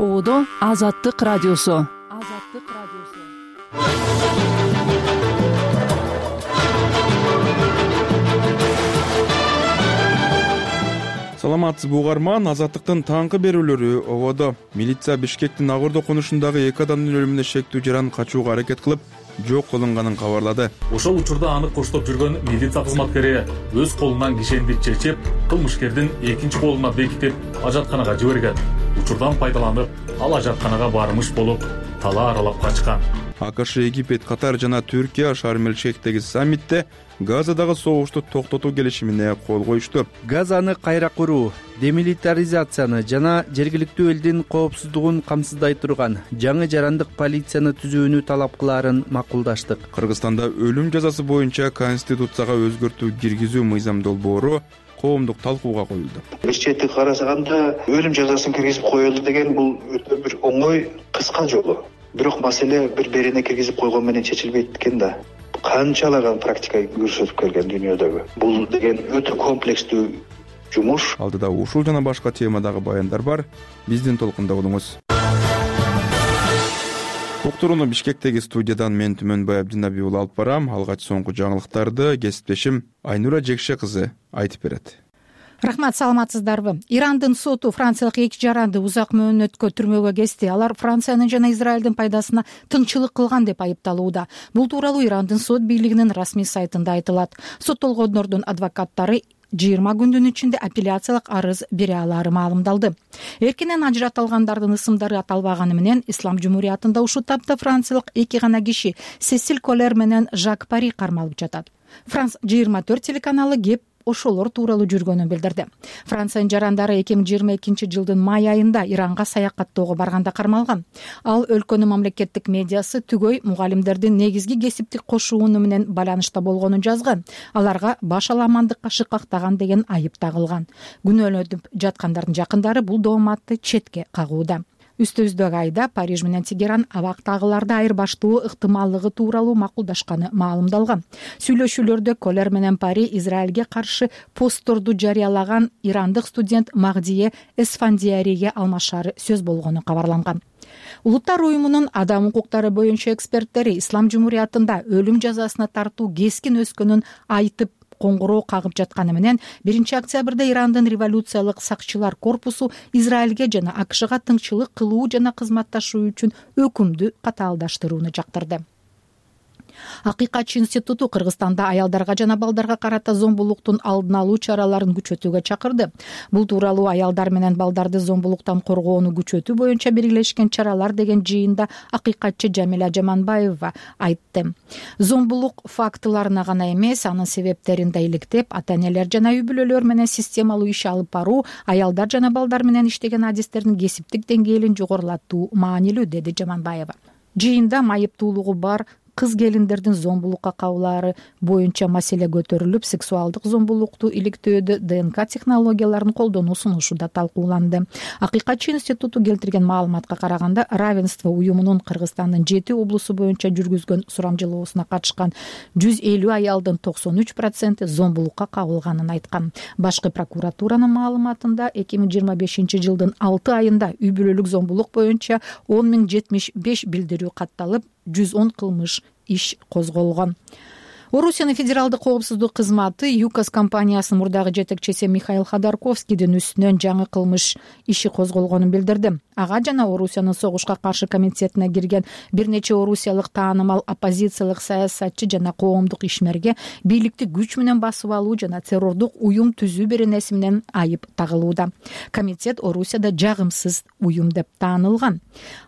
Ободо Азаттык радиосу. Саламатсызбы угарман, Азаттыктын таңкы берүүлөрү ободо. Милиция Бишкектин Агордо конушундагы 2 адамдын өлүмүнө шектүү жаран качууга аракет кылып, жок кылынганын кабарлады. Ошол учурда аны коштоп жүргөн милиция кызматкери өз колунан кишенди чечип, кылмышкердин экинчи колуна бекитип, ажатканага жиберген. Учурдан пайдаланып, ал ажатканага бармыш болуп, тала аралап качкан. АКШ, Египет, Катар жана Түркия Шарм-эль-Шейхтеги саммитте Газадагы согушту токтотуу келишимине кол коюшту. Газаны кайра куруу, демилитаризацияны жана жергиликтүү элдин коопсуздугун камсыздай турган жаңы жарандык полицияны түзүүнү талап кылаарын макулдаштык. Кыргызстанда өлүм жазасы боюнча конституцияга өзгөртүү киргизүү мыйзам долбоору коомдук талкууга коюлду. Бир чети карасаганда өлүм жазасын киргизип коелу деген бул өтө бир оңой, кыска жолу. Бирок маселе бир-бирине киргизип койгон менен чечилбейт экен да. Канчалаган практика көрсөтүп келген дүйнөдөгү. Бул деген өтө комплекстүү жумуш. Алдыда ушул жана башка темадагы баяндар бар. Биздин толкунда болуңуз. Уктурууну Бишкектеги студиядан мен Түмөнбай Абдинаби уулу алып барам. Алгач соңку жаңылыктарды кесиптешим Айнура Жекше кызы айтып берет. Рахмат, саламатсыздарбы? Ирандын соту франциялык 2 жаранды узак мөөнөткө түрмөгө кести. Алар Франциянын жана Израилдин пайдасына тыңчылык кылган деп айыпталууда. Бул тууралуу Ирандын сот бийлигинин расмий сайтында айтылат. Соттолгондордун адвокаттары 20 күндүн ичинде апелляциялык арыз бере алары маалымдалды. Эркинен ажыратылгандардын ысымдары аталбаганы менен Ислам жумуриятында ушул тапта франциялык 2 гана киши Сесиль Колер менен Жак Пари кармалып жатат. Франс 24 телеканалы кеп ошолор тууралуу жүргөнүн билдирди. Франциянын жарандары 2022 жылдын май айында Иранга саякаттоого барганда кармалган. Ал өлкөнүн мамлекеттик медиасы түгөй мугалимдердин негизги кесиптик кошууну менен байланышта болгонун жазган. Аларга баш аламандыкка шыкактаган деген айып тагылган. Күнөөлөнүп жаткандардын жакындары бул дооматты четке кагууда. Үстүбүздөгү айда Париж менен Тегеран абактагыларды айырбаштоо ыктымаллыгы тууралуу макулдашканы маалымдалган. Сүйлөшүүлөрдө Колер менен Пари Израилге каршы постторду жарыялаган ирандык студент Магдие Эсфандияриге алмашары сөз болгону кабарланган. Улуттар уюмунун адам укуктары боюнча эксперттери Ислам жумуриятында өлүм жазасына тартуу кескин өскөнүн айтып коңгуроо кагып жатканы менен 1 октябрда Ирандын революциялык сакчылар корпусу Израилге жана АКШга тыңчылык кылуу жана кызматташуу үчүн өкүмдү катаалдаштырууну жактырды. Акыйкатчы институту Кыргызстанда аялдарга жана балдарга карата зомбулуктун алдын алуу чараларын күчөтүүгө чакырды. Бул тууралуу аялдар менен балдарды зомбулуктан коргоону күчөтүү боюнча биргелешкен чаралар деген жыйында акыйкатчы Жамиля Жаманбаева айтты. Зомбулук фактыларына гана эмес, анын себептерин да иликтеп, ата-энелер жана үй-бүлөлөр менен системалуу иш алып баруу, аялдар жана балдар менен иштеген адистердин кесиптик деңгээлин жогорулатуу маанилүү, деди Жаманбаева. Жыйында майыптуулугу бар кыз келиндердин зомбулукка кабылаары боюнча маселе көтөрүлүп, сексуалдык зомбулукту иликтөөдө ДНК технологияларын колдонуу сунушу да талкууланды. Акыйкатчы институту келтирген маалыматка караганда, равенство уюмунун Кыргызстандын 7 облусу боюнча жүргүзгөн сурамжылоосуна катышкан 150 аялдын 93% зомбулукка кабылганын айткан. Башкы прокуратуранын маалыматында 2025 жылдын 6 айында үй-бүлөлүк зомбулук боюнча 10.075 билдирүү катталып, 110 кылмыш иш козголгон. Орусиянын федералдык коопсуздук кызматы ЮКОС компаниясынын мурдагы жетекчиси Михаил Ходорковскийдин үстүнөн жаңы кылмыш иши козголгонун билдирди. Ага жана Орусиянын согушка каршы комитетине кирген бир нече орусиялык таанымал оппозициялык саясатчы жана коомдук ишмерге бийликти күч менен басып алуу жана террордук уюм түзүү беренеси менен айып тагылууда. Комитет Орусияда жагымсыз уюм деп таанылган.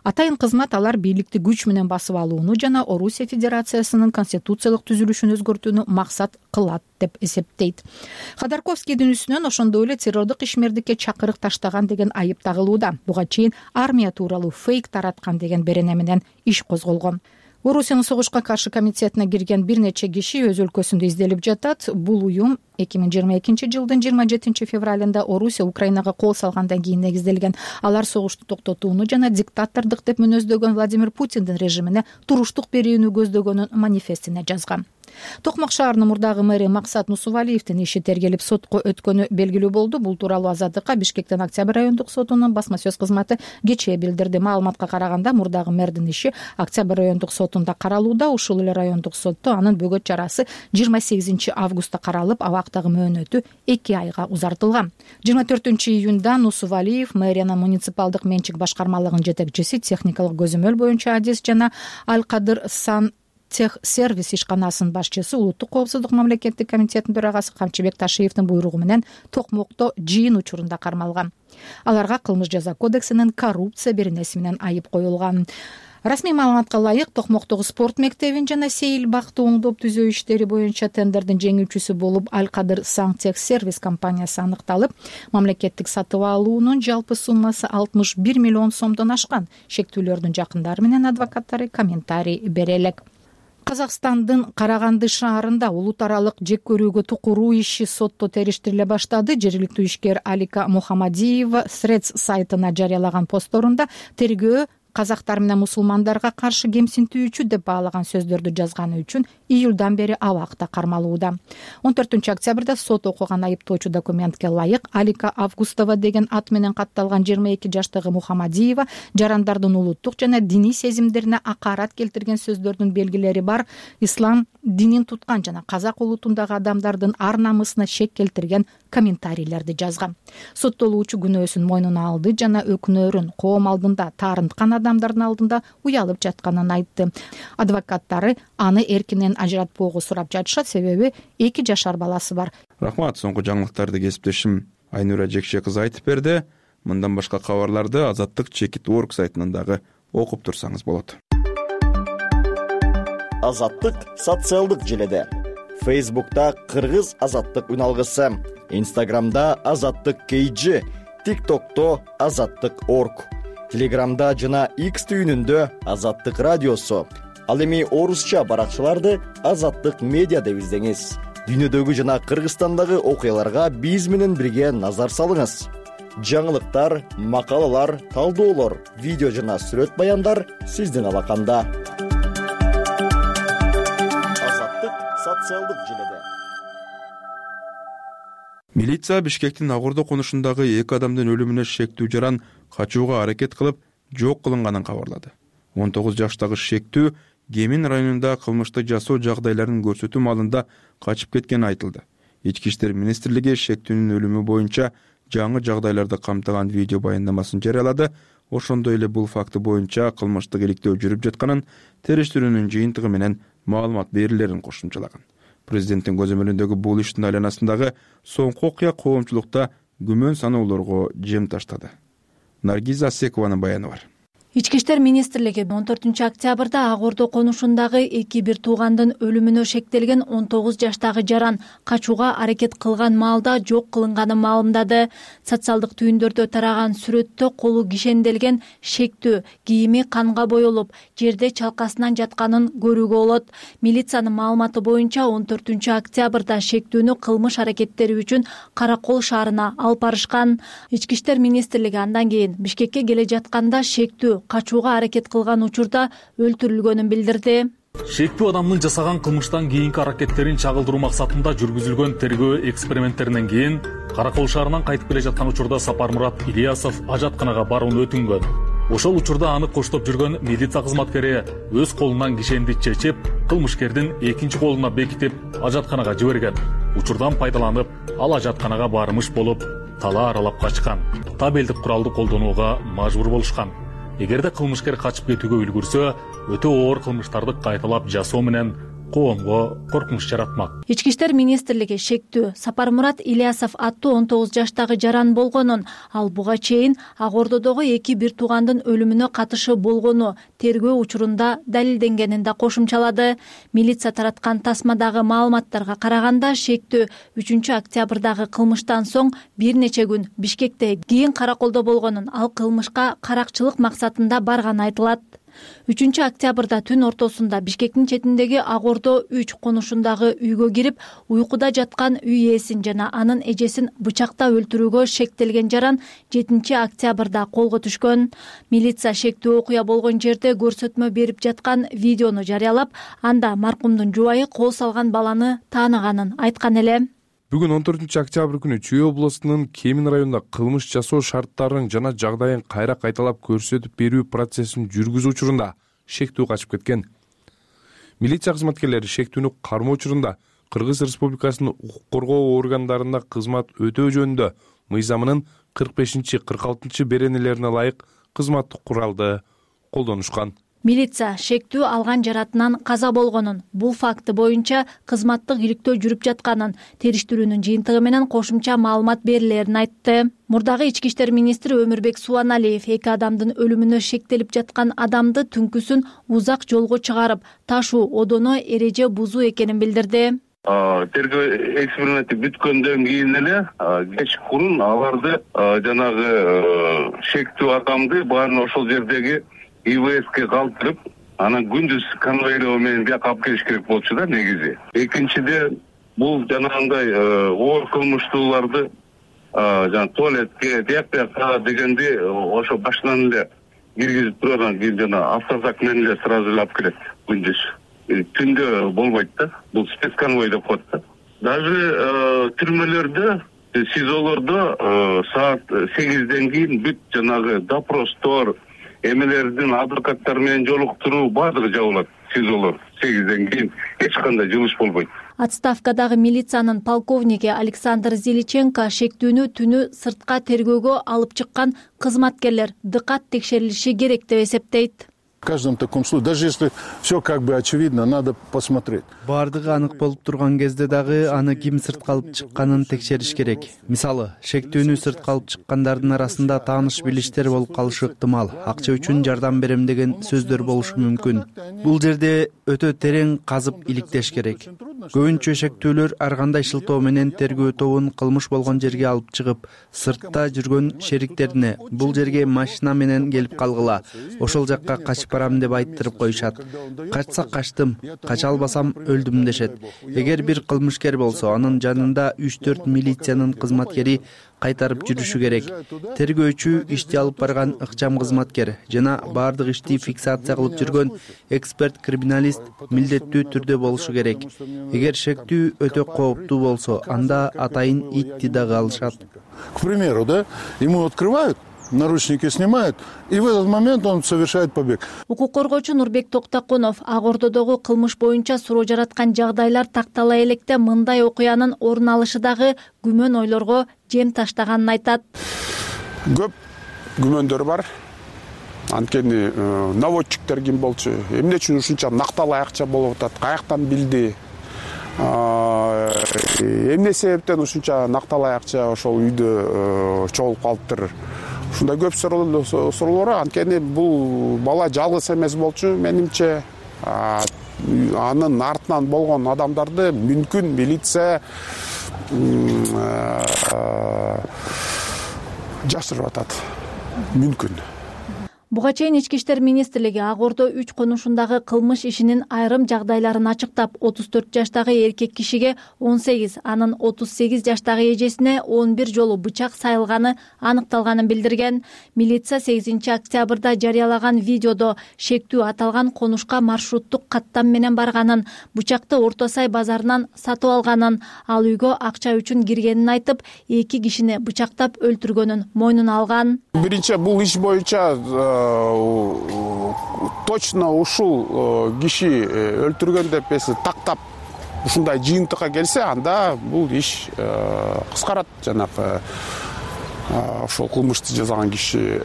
Атайын кызмат алар бийликти күч менен басып алууну жана Орусия Федерациясынын конституциялык түзүлүшүн өзгөртүүнү максат кылат деп эсептейт. Ходорковскийдин үстүнөн ошондой эле террордук ишмердикке чакырык таштаган деген айып тагылууда. Буга чейин армия тууралуу фейк тараткан деген берене менен иш козголгон. Орусиянын согушка каршы комитетине кирген бир нече киши өз өлкөсүндө изделип жатат. Бул уюм 2022 жылдын 27 февралында Орусия Украинага кол салгандан кийин негизделген. Алар согушту токтотууну жана диктатордук деп мүнөздөгөн Владимир Путиндин режимине туруштук берүүнү көздөгөнүн манифестине жазган. Токмок шаарынын мурдагы мэри Максат Нусувалиевдин иши тергелип сотко өткөнү белгилүү болду. Бул тууралуу Азаттыкка Бишкектин Октябрь райондук сотунун басма сөз кызматы кечээ билдирди. Маалыматка караганда мурдагы мэрдин иши Октябрь райондук сотунда каралууда. Ушул эле райондук сотто анын бөгөт чарасы 28 августта каралып, абактагы мөөнөтү 2 айга узартылган. 24 июнда Нусувалиев мэриянын муниципалдык менчик башкармалыгынын жетекчиси, техникалык көзөмөл боюнча адис жана Алкадыр Сан Тех сервис ишканасынын башчысы, улуттук коопсуздук мамлекеттик комитетинин төрагасы Камчыбек Ташиевдин буйругу менен Токмокто жыйын учурунда кармалган. Аларга кылмыш жаза кодексинин коррупция беренеси менен айып коюлган. Расмий маалыматка ылайык, Токмоктогу спорт мектебин жана сейил бакты оңдоп түзөө иштери боюнча тендердин жеңүүчүсү болуп Алкадыр Сан Тех сервис компаниясы аныкталып, мамлекеттик сатып алуунун жалпы суммасы 61 миллион сомдон ашкан. Шектүүлөрдүн жакындары менен адвокаттары комментарий бере элек. Казакстандын Караганды шаарында улут аралык жек көрүүгө тукуруу иши сотто териштириле баштады. Жергиликтүү ишкер Алика Мухамадиева Срец сайтына жарыялаган постторунда тергөө казактар менен мусулмандарга каршы кемсинтүүчү деп баалаган сөздөрдү жазганы үчүн июлдан бери абакта кармалууда. 14 октябрда сот окуган айыптоочу документке ылайык Алика Августова деген ат менен катталган 22 жаштагы Мухамадиева жарандардын улуттук жана диний сезимдерине акарат келтирген сөздөрдүн белгилери бар, ислам динин туткан жана казак улутундагы адамдардын ар намысына шек келтирген комментарийлерди жазган. Соттолуучу күнөөсүн мойнуна алды жана өкүнөрүн коом алдында, таарынткан адамдардын алдында уялып жатканын айтты. Адвокаттары аны эркинен ажыратпоого сурап жатышат, себеби 2 жашар баласы бар. Рахмат, соңку жаңылыктарды кесиптешим Айнура Жекше кызы айтып берди. Мындан башка кабарларды Азаттык.org сайтынан дагы окуп турсаңыз болот. Азаттык социалдык желеде. Facebook'ta Кыргыз Азаттык үналгысы, Instagram'da Азаттык KG, TikTok'to Азаттык.org, Telegram'da жана X түйүнүндө Азаттык радиосу. Ал эми орусча баракчаларды Азаттык медиа деп издеңиз. Дүйнөдөгү жана Кыргызстандагы окуяларга биз менен бирге назар салыңыз. Жаңылыктар, макалалар, талдоолор, видео жана сүрөт баяндар сиздин алаканда. Азаттык социалдык желеде. Милиция Бишкектин Агордо конушундагы 2 адамдын өлүмүнө шектүү жаран качууга аракет кылып, жок кылынганын кабарлады. 19 жаштагы шектүү Гемин районунда кылмышты жасоо жагдайларын көрсөтүү маалында качып кеткени айтылды. Ички иштер министрлиги шектүүнүн өлүмү боюнча жаңы жагдайларды камтыган видео баяндамасын жарыялады. Ошондой эле бул факты боюнча кылмыштык иликтөө жүрүп жатканын, териштирүүнүн жыйынтыгы менен маалымат берилерин кошумчалаган. Президенттин көзөмөлүндөгү бул иштин айланасындагы соңку окуя коомчулукта күмөн саноолорго жем таштады. Наргиза Асекованын баяны бар. Ички иштер министрлиги 14 октябрда Агордо конушундагы 2 туугандын өлүмүнө шектелген 19 жаштагы жаран качууга аракет кылган маалда жок кылынганын маалымдады. Социалдык түйүндөрдө тараган сүрөттө колу кишенделген шектүү кийими канга боелуп, жерде чалкасынан жатканын көрүүгө болот. Милициянын маалыматы боюнча 14 октябрда шектүүнү кылмыш аракеттери үчүн Каракол шаарына алып барышкан. Ички иштер министрлиги андан кийин Бишкекке келе жатканда шектүү качууга аракет кылган учурда өлтүрүлгөнүн билдирди. Шектүү адамдын жасаган кылмыштан кийинки аракеттерин чагылдыруу максатында жүргүзүлгөн тергөө эксперименттеринен кийин Каракол шаарынан кайтып келе жаткан учурда Сапармурат Ильясов ажатканага барууну өтүнгөн. Ошол учурда аны коштоп жүргөн милиция кызматкери өз колунан кишенди чечип, кылмышкердин экинчи колуна бекитип ажатканага жиберген. Учурдан пайдаланып, ал ажатканага бармыш болуп, тала аралап качкан. Табелдик куралды колдонууга мажбур болушкан. Эгерде кылмышкер качып кетүүгө үлгүрсө, өтө оор кылмыштарды кайталап жасоо менен коомго коркунуч жаратмак. Ички иштер министрлиги шектүү Сапармурат Ильясов аттуу 19 жаштагы жаран болгонун, ал буга чейин Агордодогу 2 туугандын өлүмүнө катышы болгону тергөө учурунда далилденгенин да кошумчалады. Милиция тараткан тасмадагы маалыматтарга караганда шектүү 3 октябрдагы кылмыштан соң бир нече күн Бишкекте, кийин Караколдо болгонун, ал кылмышка каракчылык максатында барганы айтылат. 3-октябрда түн ортосунда Бишкектин четиндеги Ак Ордо 3 конушундагы үйгө кирип, уйкуда жаткан үй ээсин жана анын эжесин бычактап өлтүрүүгө шектелген жаран 7-октябрда колго түшкөн. Милиция шектүү окуя болгон жерде көрсөтмө берип жаткан видеону жарыялап, анда маркумдун жубайы кол салган баланы тааныганын айткан эле. Бүгүн 14-октябрь күнү Чүй областынын Кемин районунда кылмыш жасоо шарттарын жана жагдайын кайра кайталап көрсөтүп берүү процессин жүргүзүү учурунда шектүү качып кеткен. Милиция кызматкерлери шектүүнү кармоо учурунда Кыргыз Республикасынын укук коргоо органдарында кызмат өтөө жөнүндө мыйзамынын 45-46 беренелерине ылайык кызматтык куралды колдонушкан. Милиция шектүү алган жаратынан каза болгонун, бул факты боюнча кызматтык иликтөө жүрүп жатканын, териштирүүнүн жыйынтыгы менен кошумча маалымат берилерин айтты. Мурдагы ички иштер министри Өмүрбек Субаналиев 2 адамдын өлүмүнө шектелип жаткан адамды түнкүсүн узак жолго чыгарып, ташуу одоно эреже бузуу экенин билдирди. Тергөө эксперименти бүткөндөн кийин эле кеч мурун аларды жанагы шектүү адамды баарын ошол жердеги ИВСке калтырып, анан күндүз конвойлоо менен бияка алып келиш керек болчу да негизи. Экинчиден, бул жанагындай оор кылмыштууларды жана туалетке, тияк-бияка дегенди ошо башынан эле киргизип тургандан кийин жана автозак менен эле сразу эле алып келет күндүз. Түндө болбойт да, бул спецконвой деп коет да. Даже түрмөлөрдө, СИЗОлордо саат 8ден кийин бүт жанагы допростор, эмелердин адвокаттар менен жолуктуруу баардыгы жабылат. СИЗОлор 8ден кийин эч кандай жылыш болбойт. Отставкадагы милициянын полковниги Александр Зеличенко шектүүнү түнү сыртка тергөөгө алып чыккан кызматкерлер дыкат текшерилиши керек деп эсептейт. В каждом таком случае, даже если все как бы очевидно, надо посмотреть. Бардыгы анык болуп турган кезде дагы аны ким сыртка алып чыкканын текшериш керек. Мисалы, шектүүнү сыртка алып чыккандардын арасында тааныш билиштер болуп калышы ыктымал. Акча үчүн жардам берем деген сөздөр болушу мүмкүн. Бул жерде өтө терең казып иликтеш керек. Көбүнчө шектүүлөр ар кандай шылтоо менен тергөө тобун кылмыш болгон жерге алып чыгып, сыртта жүргөн шериктерине бул жерге машина менен келип калгыла, ошол жакка качып барам деп айттырып коюшат. Качсак качтым, кача албасам өлдүм дешет. Эгер бир кылмышкер болсо, анын жанында 3-4 милициянын кызматкери кайтарып жүрүшү керек. Тергөөчү ишти алып барган ыкчам кызматкер жана баардык ишти фиксация кылып жүргөн эксперт-криминалист милдеттүү түрдө болушу керек. Эгер шектүү өтө кооптуу болсо, анда атайын итти дагы алышат. К примеру, да, ему открывают, наручники снимают, и в этот момент он совершает побег. Укук коргоочу Нурбек Токтакунов Ак Ордодогу кылмыш боюнча суроо жараткан жагдайлар тактала электе мындай окуянын орун алышы дагы күмөн ойлорго жем таштаганын айтат. Көп күмөндөр бар. Анткени наводчиктер ким болчу, эмне үчүн ушунча накталай акча болуп атат, каяктан билди, эмне себептен ушунча накталай акча ошол үйдө чогулуп калыптыр. Ушундай көп суроолор. Анткени бул бала жалгыз эмес болчу, менимче. Анын артынан болгон адамдарды мүмкүн милиция жашырып атат. Мүмкүн. Буга чейин Ички иштер министрлиги Ак Ордо 3 конушундагы кылмыш ишинин айрым жагдайларын ачыктап, 34 жаштагы эркек кишиге 18, анын 38 жаштагы эжесине 11 жолу бычак сайылганы аныкталганын билдирген. Милиция 8-октябрда жарыялаган видеодо шектүү аталган конушка маршруттук каттам менен барганын, бычакты Орто Сай базарынан сатып алганын, ал үйгө акча үчүн киргенин айтып, 2 кишини бычактап өлтүргөнүн мойнуна алган. Биринчи бул иш боюнча точно ушул киши өлтүргөн деп тактап ушундай жыйынтыкка келсе, анда бул иш кыскарат. Жанагы ошол кылмышты жасаган киши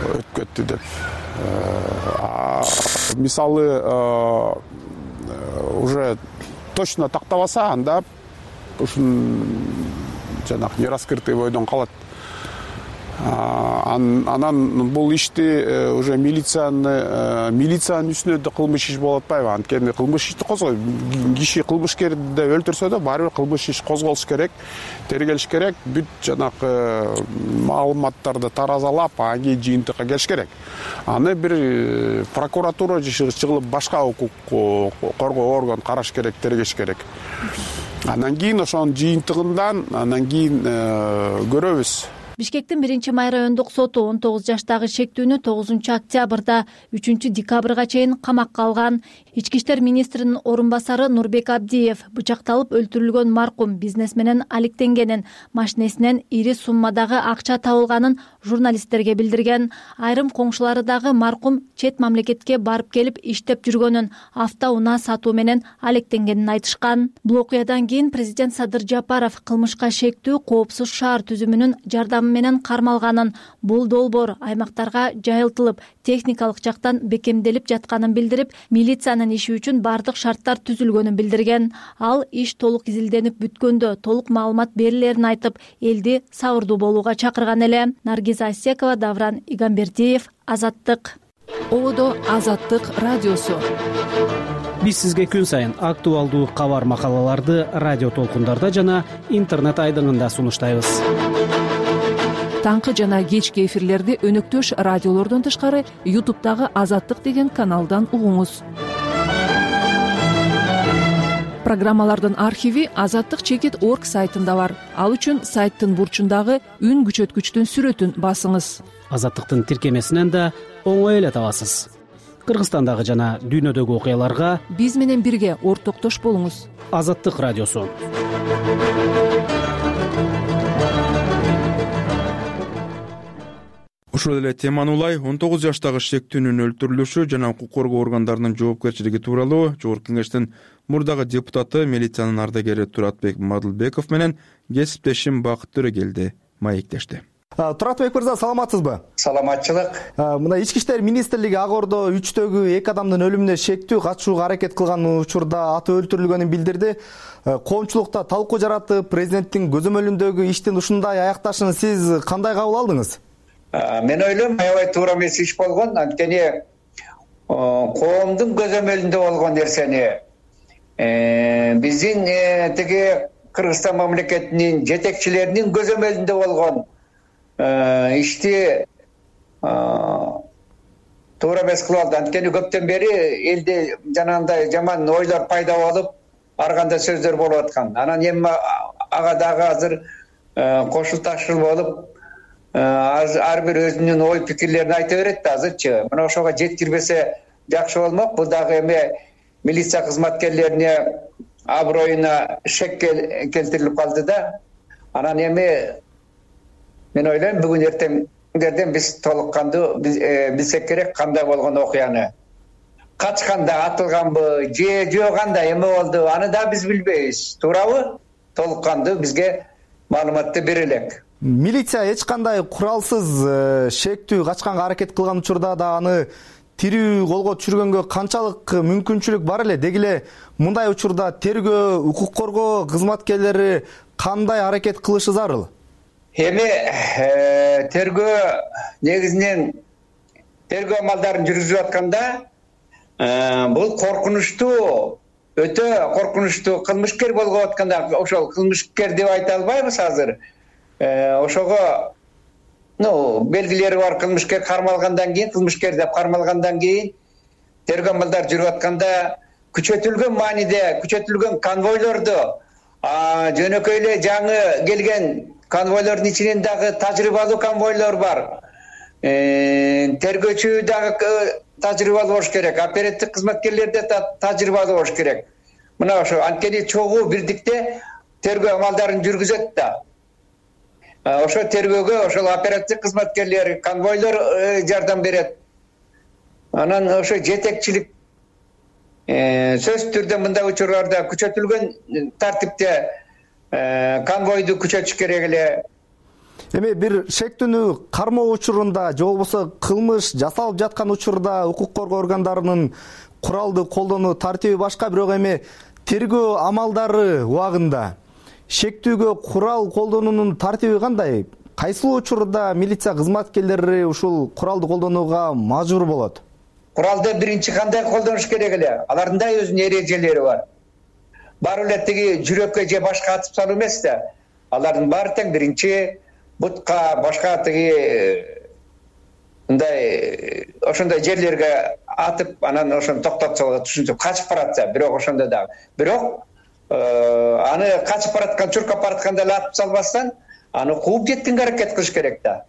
өтүп кетти деп. Мисалы уже точно тактабаса, анда ушун жанагы нераскрытый бойдон калат. Анан бул ишти уже милициянын үстүнө да кылмыш иш болуп атпайбы? Анткени кылмыш ишти козгой, киши кылмышкерди өлтүрсө да баары бир кылмыш иш козголуш керек, тергелиш керек, бүт жанагы маалыматтарды таразалап, анан кийин жыйынтыкка келиш керек. Аны бир прокуратура чыгылып башка укук коргоо орган караш керек, тергеш керек. Анан кийин ошонун жыйынтыгынан анан кийин көрөбүз. Бишкектин 1-Май райондук соту 19 жаштагы шектүүнү 9-октябрда 3-декабрга чейин камакка алган. Ички иштер министринин орун басары Нурбек Абдиев бычакталып өлтүрүлгөн маркум бизнесменен алектенгенин, машинесинен ири суммадагы акча табылганын журналисттерге билдирген. Айрым коңшулары дагы маркум чет мамлекетке барып келип иштеп жүргөнүн, автоунаа сатуу менен алектенгенин айтышкан. Бул окуядан кийин президент Садыр Жапаров кылмышка шектүү коопсуз шаар түзүмүнүн жардамы менен кармалганын, бул долбоор аймактарга жайылтылып, техникалык жактан бекемделип жатканын билдирип, милициянын иши үчүн бардык шарттар түзүлгөнүн билдирген. Ал иш толук изилденип бүткөндө толук маалымат берилерин айтып, элди сабырдуу болууга чакырган эле. Наргиза Асекова, Давран Игамбердиев, Азаттык. Ободо Азаттык радиосу. Биз сизге күн сайын актуалдуу кабар макалаларды радио толкундарда жана интернет айдыңында сунуштайбыз. Таңкы жана кечки эфирлерди өнөктөш радиолордон тышкары YouTube'дагы Азаттык деген каналдан угуңуз. Программалардын архиви azattik.org сайтында бар. Ал үчүн сайттын бурчундагы үн күчөткүчтүн сүрөтүн басыңыз. Азаттыктын тиркемесинен да оңой эле табасыз. Кыргызстандагы жана дүйнөдөгү окуяларга биз менен бирге ортоктош болуңуз. Азаттык радиосу. Ошол эле теманы улай 19 жаштагы шектүүнүн өлтүрүлүшү жана укук коргоо органдарынын жоопкерчилиги тууралуу Жогорку Кеңештин мурдагы депутаты, милициянын ардагери Туратбек Мадылбеков менен кесиптешим Бакыт Төрөгелди маектешти. Туратбек мырза, саламатсызбы? Саламатчылык. Мына Ички иштер министрлиги Агордо 3төгү 2 адамдын өлүмүнө шектүү качууга аракет кылган учурда аты өлтүрүлгөнүн билдирди. Коомчулукта талкуу жаратып, президенттин көзөмөлүндөгү иштин ушундай аякташын сиз кандай кабыл алдыңыз? Мен ойлойм, аябай туура эмес иш болгон. Анткени коомдун көзөмөлүндө болгон нерсени биздин тиги Кыргызстан мамлекетинин жетекчилеринин көзөмөлүндө болгон ишти туура эмес кылып алды. Анткени көптөн бери элде жанагындай жаман ойлор пайда болуп, ар кандай сөздөр болуп аткан. Анан эми ага дагы азыр кошулташыл болуп, ар бир өзүнүн ой пикирлерин айта берет да азырчы. Мына ошого жеткирбесе жакшы болмок. Бул дагы эми милиция кызматкерлерине аброюна шек келтирилип калды да. Анан эми мен ойлойм, бүгүн эртеңдерден биз толук кандуу билсек керек кандай болгон окуяны. Качканда атылганбы, же кандай эме болду, аны да биз билбейбиз. Туурабы? Толук кандуу бизге маалыматты бере элек. Милиция эч кандай куралсыз шектүү качканга аракет кылган учурда да аны тирүү колго түшүргөнгө канчалык мүмкүнчүлүк бар эле? Деги эле мындай учурда тергөө, укук коргоо кызматкерлери кандай аракет кылышы зарыл? Эми тергөө негизинен тергөө амалдарын жүргүзүп атканда бул коркунучтуу, өтө коркунучтуу кылмышкер болуп атканда, ошол кылмышкер деп айта албайбыз азыр. Ошого белгилери бар кылмышкер кармалгандан кийин, кылмышкер деп кармалгандан кийин тергөө амалдары жүрүп атканда күчөтүлгөн мааниде, күчөтүлгөн конвойлорду, жөнөкөй эле жаңы келген конвойлордун ичинен дагы тажрыйбалуу конвойлор бар. Тергөөчү дагы тажрыйбалуу болуш керек, оперативдик кызматкерлер да тажрыйбалуу болуш керек. Мына ошо анткени чогуу бирдикте тергөө амалдарын жүргүзөт да. Ошо тергөөгө ошол оперативдик кызматкерлер, конвойлор жардам берет. Анан ошо жетекчилик сөзсүз түрдө мындай учурларда күчөтүлгөн тартипте конвойду күчөтүш керек эле. Эми бир шектүүнү кармоо учурунда же болбосо кылмыш жасалып жаткан учурда укук коргоо органдарынын куралды колдонуу тартиби башка, бирок эми тергөө амалдары убагында шектүүгө курал колдонуунун тартиби кандай? кайсыл учурда милиция кызматкерлери ушул куралды колдонууга мажбур болот? Куралды биринчи кандай колдонуш керек эле? Алардын да өзүнүн эрежелери бар. Баары эле тиги жүрөккө же башка атып салуу эмес да. Алардын баары тең биринчи бутка, башка тиги мындай ошондой жерлерге атып, анан ошону токтотсо болот, ушинтип качып баратса, бирок ошондо дагы. Бирок аны качып бараткан, чуркап баратканда эле атып салбастан, аны кууп жеткенге аракет кылыш керек да.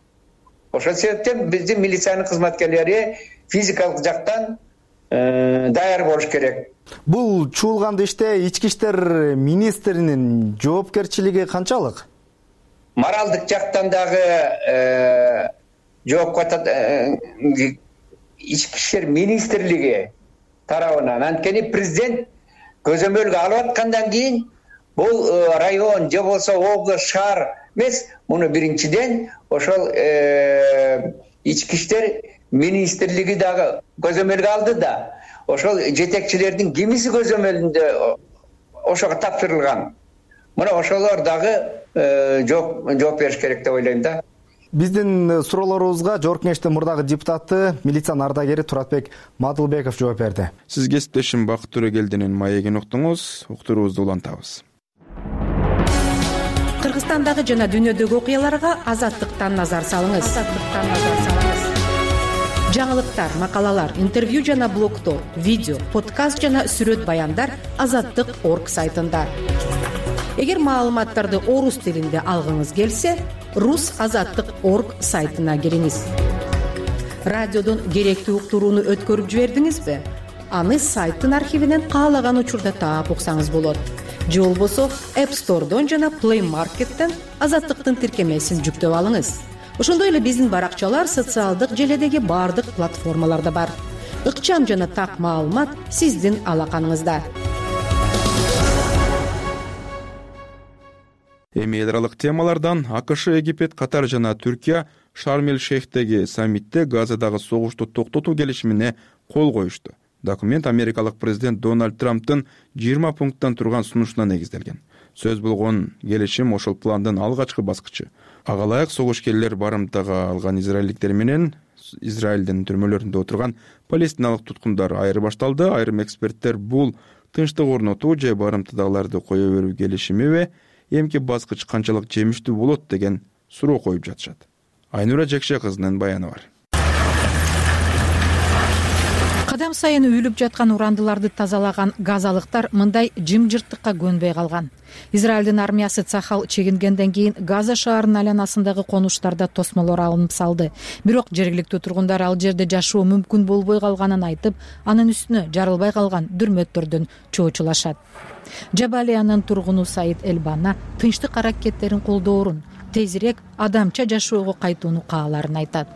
Ошол себептен биздин милициянын кызматкерлери физикалык жактан даяр болуш керек. Бул чуулганды иште ички иштер министринин жоопкерчилиги канчалык? Моралдык жактан дагы жоопко ички иштер министрлиги тарабынан, анткени президент көзөмөлгө алып аткандан кийин бул район же болбосо область, шаар эмес, муну биринчиден ошол ички иштер министрлиги дагы көзөмөлгө алды да. Ошол жетекчилердин кимиси көзөмөлүндө ошого тапшырылган. Мына ошолор дагы жооп бериш керек деп ойлойм да. Биздин суроолорубузга Жогорку Кеңештин мурдагы депутаты, милициянын ардагери Туратбек Мадылбеков жооп берди. Сиз кесиптешим Бакыт Төрөгелдинин маегин уктуңуз, уктуруубузду улантабыз. Кыргызстандагы жана дүйнөдөгү окуяларга Азаттыктан назар салыңыз. Жаңылыктар, макалалар, интервью жана блогтор, видео, подкаст жана сүрөт баяндар Азаттык.орг сайтында. Эгер маалыматтарды орус тилинде алгыңыз келсе, Rus.Azattık.org сайтына кириңиз. Радиодон керектүү уктурууну өткөрүп жибердиңизби? Аны сайттын архивинен каалаган учурда таап уксаңыз болот. Же болбосо App Store'дон жана Play Market'тен Азаттыктын тиркемесин жүктөп алыңыз. Ошондой эле биздин баракчалар социалдык желедеги бардык платформаларда бар. Ыкчам жана так маалымат сиздин алаканыңызда. Эми эл аралык темалардан АКШ, Египет, Катар жана Түркия Шарм-эль-Шейхтеги саммитте Газадагы согушту токтотуу келишимине кол коюшту. Документ америкалык президент Дональд Трамптын 20 пункттан турган сунушуна негизделген. Сөз болгон келишим ошол пландын алгачкы баскычы. Ага ылайык согушкерлер барымтага алган израилдиктер менен Израилдин түрмөлөрүндө отурган палестиналык туткундар айырбашталды. Айрым эксперттер бул тынчтык орнотуу же барымтадагыларды кое берүү келишимиби, эмки баскыч канчалык жемиштүү болот деген суроо коюп жатышат. Айнура Жекше кызынын баяны бар. Кадам сайын үйлүп жаткан урандыларды тазалаган газалыктар мындай жымжырттыкка көнбөй калган. Израилдин армиясы Цахал чегингенден кийин Газа шаарынын айланасындагы конуштарда тосмолор алынып салды. Бирок жергиликтүү тургундар ал жерде жашоо мүмкүн болбой калганын айтып, анын үстүнө жарылбай калган дүрмөттөрдөн чоочулашат. Жабалиянын тургуну Саид Элбана тынчтык аракеттерин колдоорун, тезирээк адамча жашоого кайтууну кааларын айтат.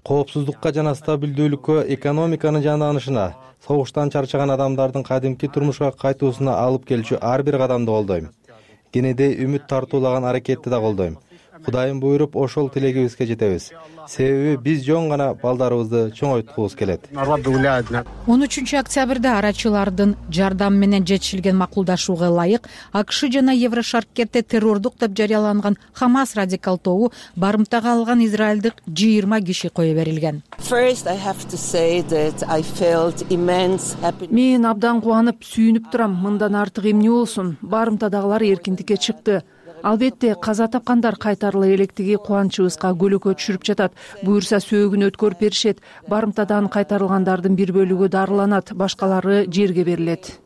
Коопсуздукка жана стабилдүүлүккө, экономиканын жанданышына, согуштан чарчаган адамдардын кадимки турмушка кайтуусуна алып келчү ар бир кадамды колдойм. Кенедей үмүт тартуулаган аракетти да колдойм. Кудайым буйруп, ошол тилегибизге жетебиз. Себеби биз жөн гана балдарыбызды чоңойткубуз келет. 13 октябрда арачылардын жардам менен жетишилген макулдашууга ылайык АКШ жана Еврошаркетте террордук деп жарыяланган Хамас радикал тобу барымтага алган израилдик 20 киши кое берилген. Мен абдан кубанып, сүйүнүп турам. Мындан артык эмне болсун? Барымтадагылар эркиндикке чыкты. Албетте каза тапкандар кайтарыла электиги кубанычыбызга көлөкө түшүрүп жатат. Буюрса сөөгүн өткөрүп беришет. Барымтадан кайтарылгандардын бир бөлүгү дарыланат, башкалары жерге берилет.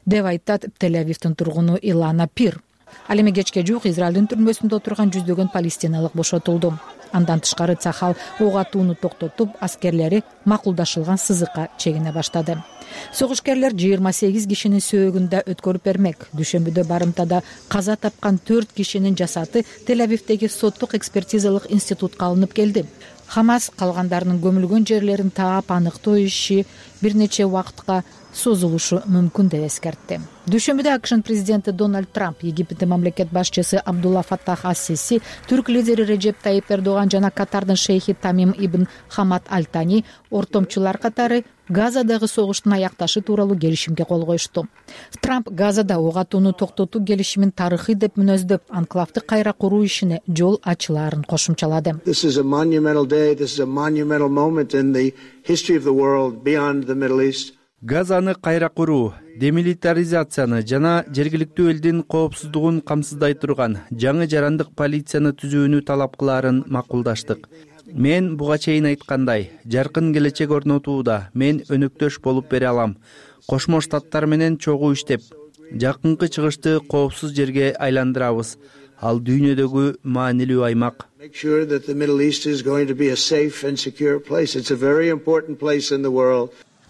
Деп айтат Тель-Авивдин тургуну Илана Пир. Ал эми кечке жуук Израилдин түрмөсүндө отурган жүздөгөн палестиналык бошотулду. Андан тышкары Цахал ок атууну токтотуп, аскерлери макулдашылган сызыкка чегине баштады. Согушкерлер 28 кишинин сөөгүндө өткөрүп бермек. Дүйшөмбүдө барымтада каза тапкан 4 кишинин жасаты Тель-Авивдеги соттук экспертизалык институтка алынып келди. Хамас калгандарынын көмүлгөн жерлерин таап аныктоо иши бир нече убакытка созулушу мүмкүн деп эскертти. Дүйшөмбүдө АКШнын президенти Дональд Трамп, Египеттин мамлекет башчысы Абдулла Фаттах ас-Сиси, түрк лидери Режеп Тайип Эрдоган жана Катардын шейхи Тамим ибн Хамад Аль-Тани ортомчулар катары Газадагы согуштун аякташы тууралуу келишимге кол коюшту. Трамп Газада ок атууну токтотуу келишимин тарыхый деп мүнөздөп, анклавды кайра куруу ишине жол ачылаарын кошумчалады. Газаны кайра куруу, демилитаризацияны жана жергиликтүү элдин коопсуздугун камсыздай турган жаңы жарандык полицияны түзүүнү талап кылаарын макулдаштык. Мен буга чейин айткандай, жаркын келечек орнотууда мен өнөктөш болуп бере алам. Кошмо Штаттар менен чогуу иштеп, жакынкы чыгышты коопсуз жерге айландырабыз. Ал дүйнөдөгү маанилүү аймак.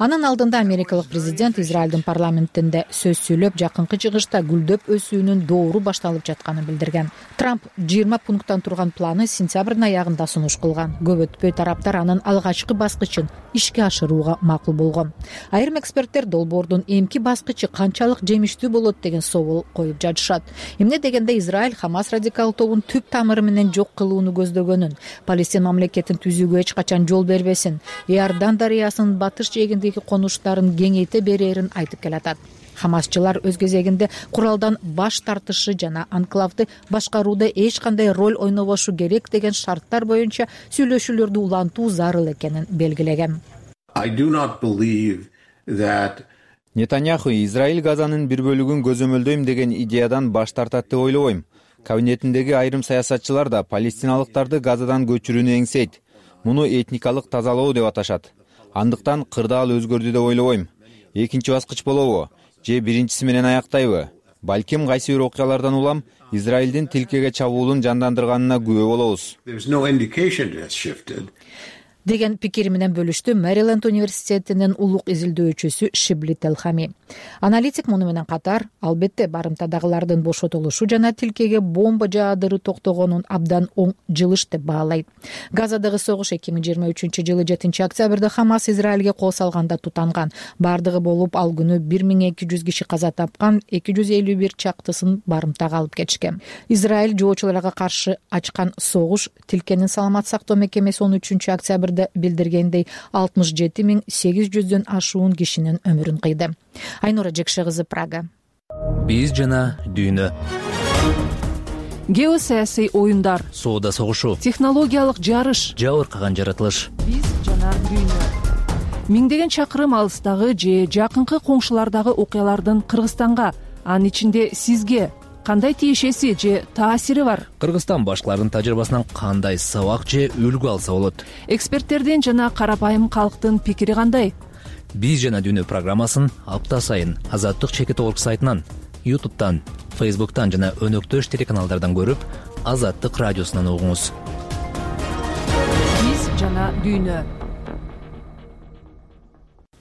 Анын алдында америкалык президент Израилдин парламентинде сөз сүйлөп, жакынкы чыгышта гүлдөп өсүүнүн доору башталып жатканын билдирген. Трамп 20 пункттан турган планы сентябрдын аягында сунуш кылган. Көп өтпөй тараптар анын алгачкы баскычын ишке ашырууга макул болгон. Айрым эксперттер долбоордун эмки баскычы канчалык жемиштүү болот деген соол коюп жатышат. Эмне дегенде Израиль Хамас радикал тобун түп тамыры менен жок кылууну көздөгөнүн, Палестин мамлекетин түзүүгө эч качан жол бербесин, Иордан дарыясынын батыш жээгиндеги конуштарын кеңейте берерин айтып келатат. Хамасчылар өз кезегинде куралдан баш тартышы жана анклавды башкарууда эч кандай роль ойнобошу керек деген шарттар боюнча сүйлөшүүлөрдү улантуу зарыл экенин белгилеген. Нетаньяху Израиль Газанын бир бөлүгүн көзөмөлдөйм деген идеядан баш тартат деп ойлобойм. Кабинетиндеги айрым саясатчылар да палестиналыктарды Газадан көчүрүүнү эңсейт. Муну этникалык тазалоо деп аташат. Андыктан кырдаал өзгөрдү деп ойлобойм. Экинчи баскыч болобу же биринчиси менен аяктайбы? Балким кайсы бир окуялардан улам Израилдин тилкеге чабуулун жандандырганына күбө болобуз. Деген пикири менен бөлүштү Мэриленд университетинин улук изилдөөчүсү Шибли Телхами. Аналитик муну менен катар, албетте барымтадагылардын бошотулушу жана тилкеге бомба жаадыруу токтогонун абдан оң жылыш деп баалайт. Газадагы согуш 2023-жылы 7-октябрда Хамас Израилге кол салганда тутанган. Бардыгы болуп ал күнү 1200 киши каза тапкан, 251 чактысын барымтага алып кетишкен. Израиль жоочуларга каршы ачкан согуш тилкенин саламат сактоо мекемеси 13-октябрда билдиргендей 67.800дөн ашуун кишинин өмүрүн кыйды. Айнура Жекше кызы, Прага. Биз жана дүйнө. Геосаясий оюндар, соода согушу, технологиялык жарыш, жабыркаган жаратылыш. Биз жана дүйнө. Миңдеген чакырым алыстагы же жакынкы коңшулардагы окуялардын Кыргызстанга, анын ичинде сизге кандай тиешеси же таасири бар? Кыргызстан башкалардын тажрыйбасынан кандай сабак же үлгү алса болот? Эксперттердин жана карапайым калктын пикири кандай? Биз жана дүйнө программасын апта сайын Азаттык чекит орг сайтынан, YouTube'тан, Facebook'тан жана өнөктөш телеканалдардан көрүп, Азаттык радиосунан угуңуз. Биз жана дүйнө.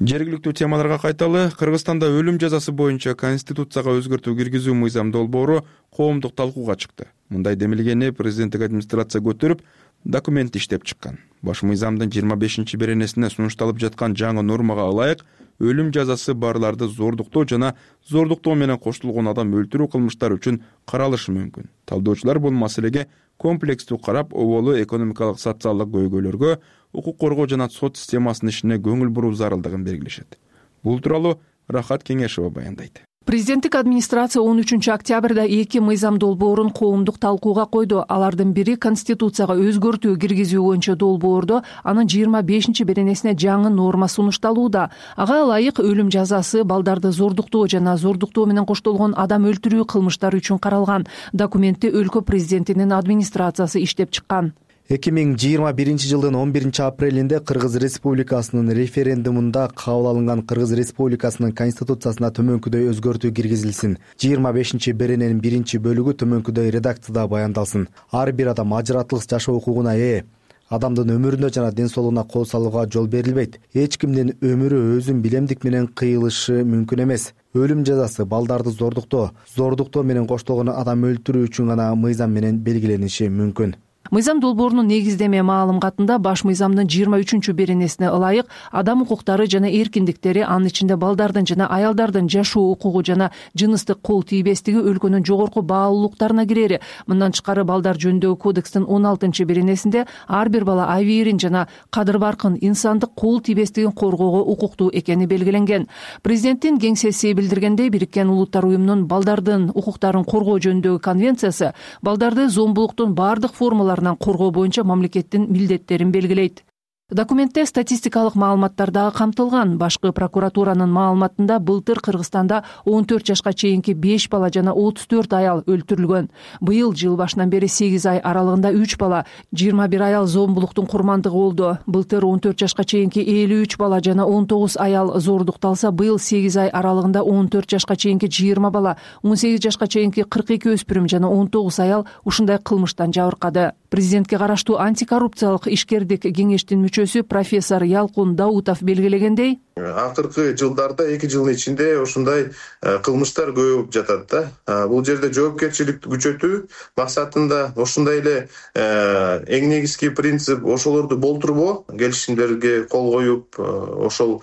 Жергиликтүү темаларга кайталы. Кыргызстанда өлүм жазасы боюнча конституцияга өзгөртүү киргизүү мыйзам долбоору коомдук талкууга чыкты. Мындай демилгени президенттик администрация көтөрүп, документ иштеп чыккан. Баш мыйзамдын 25-беренесине сунушталып жаткан жаңы нормага ылайык өлүм жазасы барларды зордуктоо жана зордуктоо менен коштулгон адам өлтүрүү кылмыштары үчүн каралышы мүмкүн. Талдоочулар бул маселеге комплекстүү карап, оболу экономикалык социалдык көйгөйлөргө, укук коргоо жана сот системасынын ишине көңүл буруу зарылдыгын белгилешет. Бул тууралуу Рахат Кеңешова баяндайт. Президенттик администрация 13-октябрда 2 мыйзам долбоорун коомдук талкууга койду. Алардын бири Конституцияга өзгөртүү киргизүү боюнча долбоордо анын 25-беренесине жаңы норма сунушталууда. Ага ылайык өлүм жазасы балдарды зордуктоо жана зордуктоо менен коштолгон адам өлтүрүү кылмыштары үчүн каралган. Документти өлкө президентинин администрациясы иштеп чыккан. 2021-жылдын 11-апрелинде Кыргыз Республикасынын референдумунда кабыл алынган Кыргыз Республикасынын конституциясына төмөнкүдөй өзгөртүү киргизилсин. 25-берененин 1-бөлүгү төмөнкүдөй редакцияда баяндалсын. Ар бир адам ажыратылык жашоо укугуна ээ. Адамдын өмүрүнө жана ден соолугуна кол салууга жол берилбейт. Эч кимдин өмүрү өзүн билемдик менен кыйылышы мүмкүн эмес. Өлүм жазасы балдарды зордуктоо менен коштолгон адам өлтүрүү үчүн гана мыйзам менен белгилениши мүмкүн. мыйзам долбоорунун негиздеме маалыматында баш мыйзамдын 23 беренесине ылайык адам укуктары жана эркиндиктери, анын ичинде балдардын жана аялдардын жашоо укугу жана жыныстык кол тийбестиги өлкөнүн жогорку баалуулуктарына кирери. Мындан тышкары балдар жөнүндөгү кодекстин 16 беренесинде ар бир бала абийирин жана кадыр баркын, инсандык кол тийбестигин коргоого укуктуу экени белгиленген. Президенттин кеңсеси билдиргендей, Бириккен Улуттар уюмунун балдардын укуктарын коргоо жөнүндөгү конвенциясы балдарды зомбулуктун бардык формаларынан коргоо боюнча мамлекеттин милдеттерин белгилейт. Документте статистикалык маалыматтар дагы камтылган. Башкы прокуратуранын маалыматында былтыр Кыргызстанда 14 жашка чейинки 5 бала жана 34 аял өлтүрүлгөн. Быйыл жыл башынан бери 8 ай аралыгында 3 бала, 21 аял зомбулуктун курмандыгы болду. Былтыр 14 жашка чейинки 53 бала жана 19 аял зордукталса, быйыл 8 ай аралыгында 14 жашка чейинки 20 бала, 18 жашка чейинки 42 өспүрүм жана 19 аял ушундай кылмыштан жабыркады. Президентке караштуу антикоррупциялык ишкердик кеңештин мүчөсү профессор Ялкун Даутов белгилегендей, акыркы жылдарда 2 жылдын ичинде ушундай кылмыштар көбөйүп жатат да. Бул жерде жоопкерчиликти күчөтүү максатында ушундай эле эң негизги принцип ошолорду болтурбоо, келишимдерге кол коюп, ошол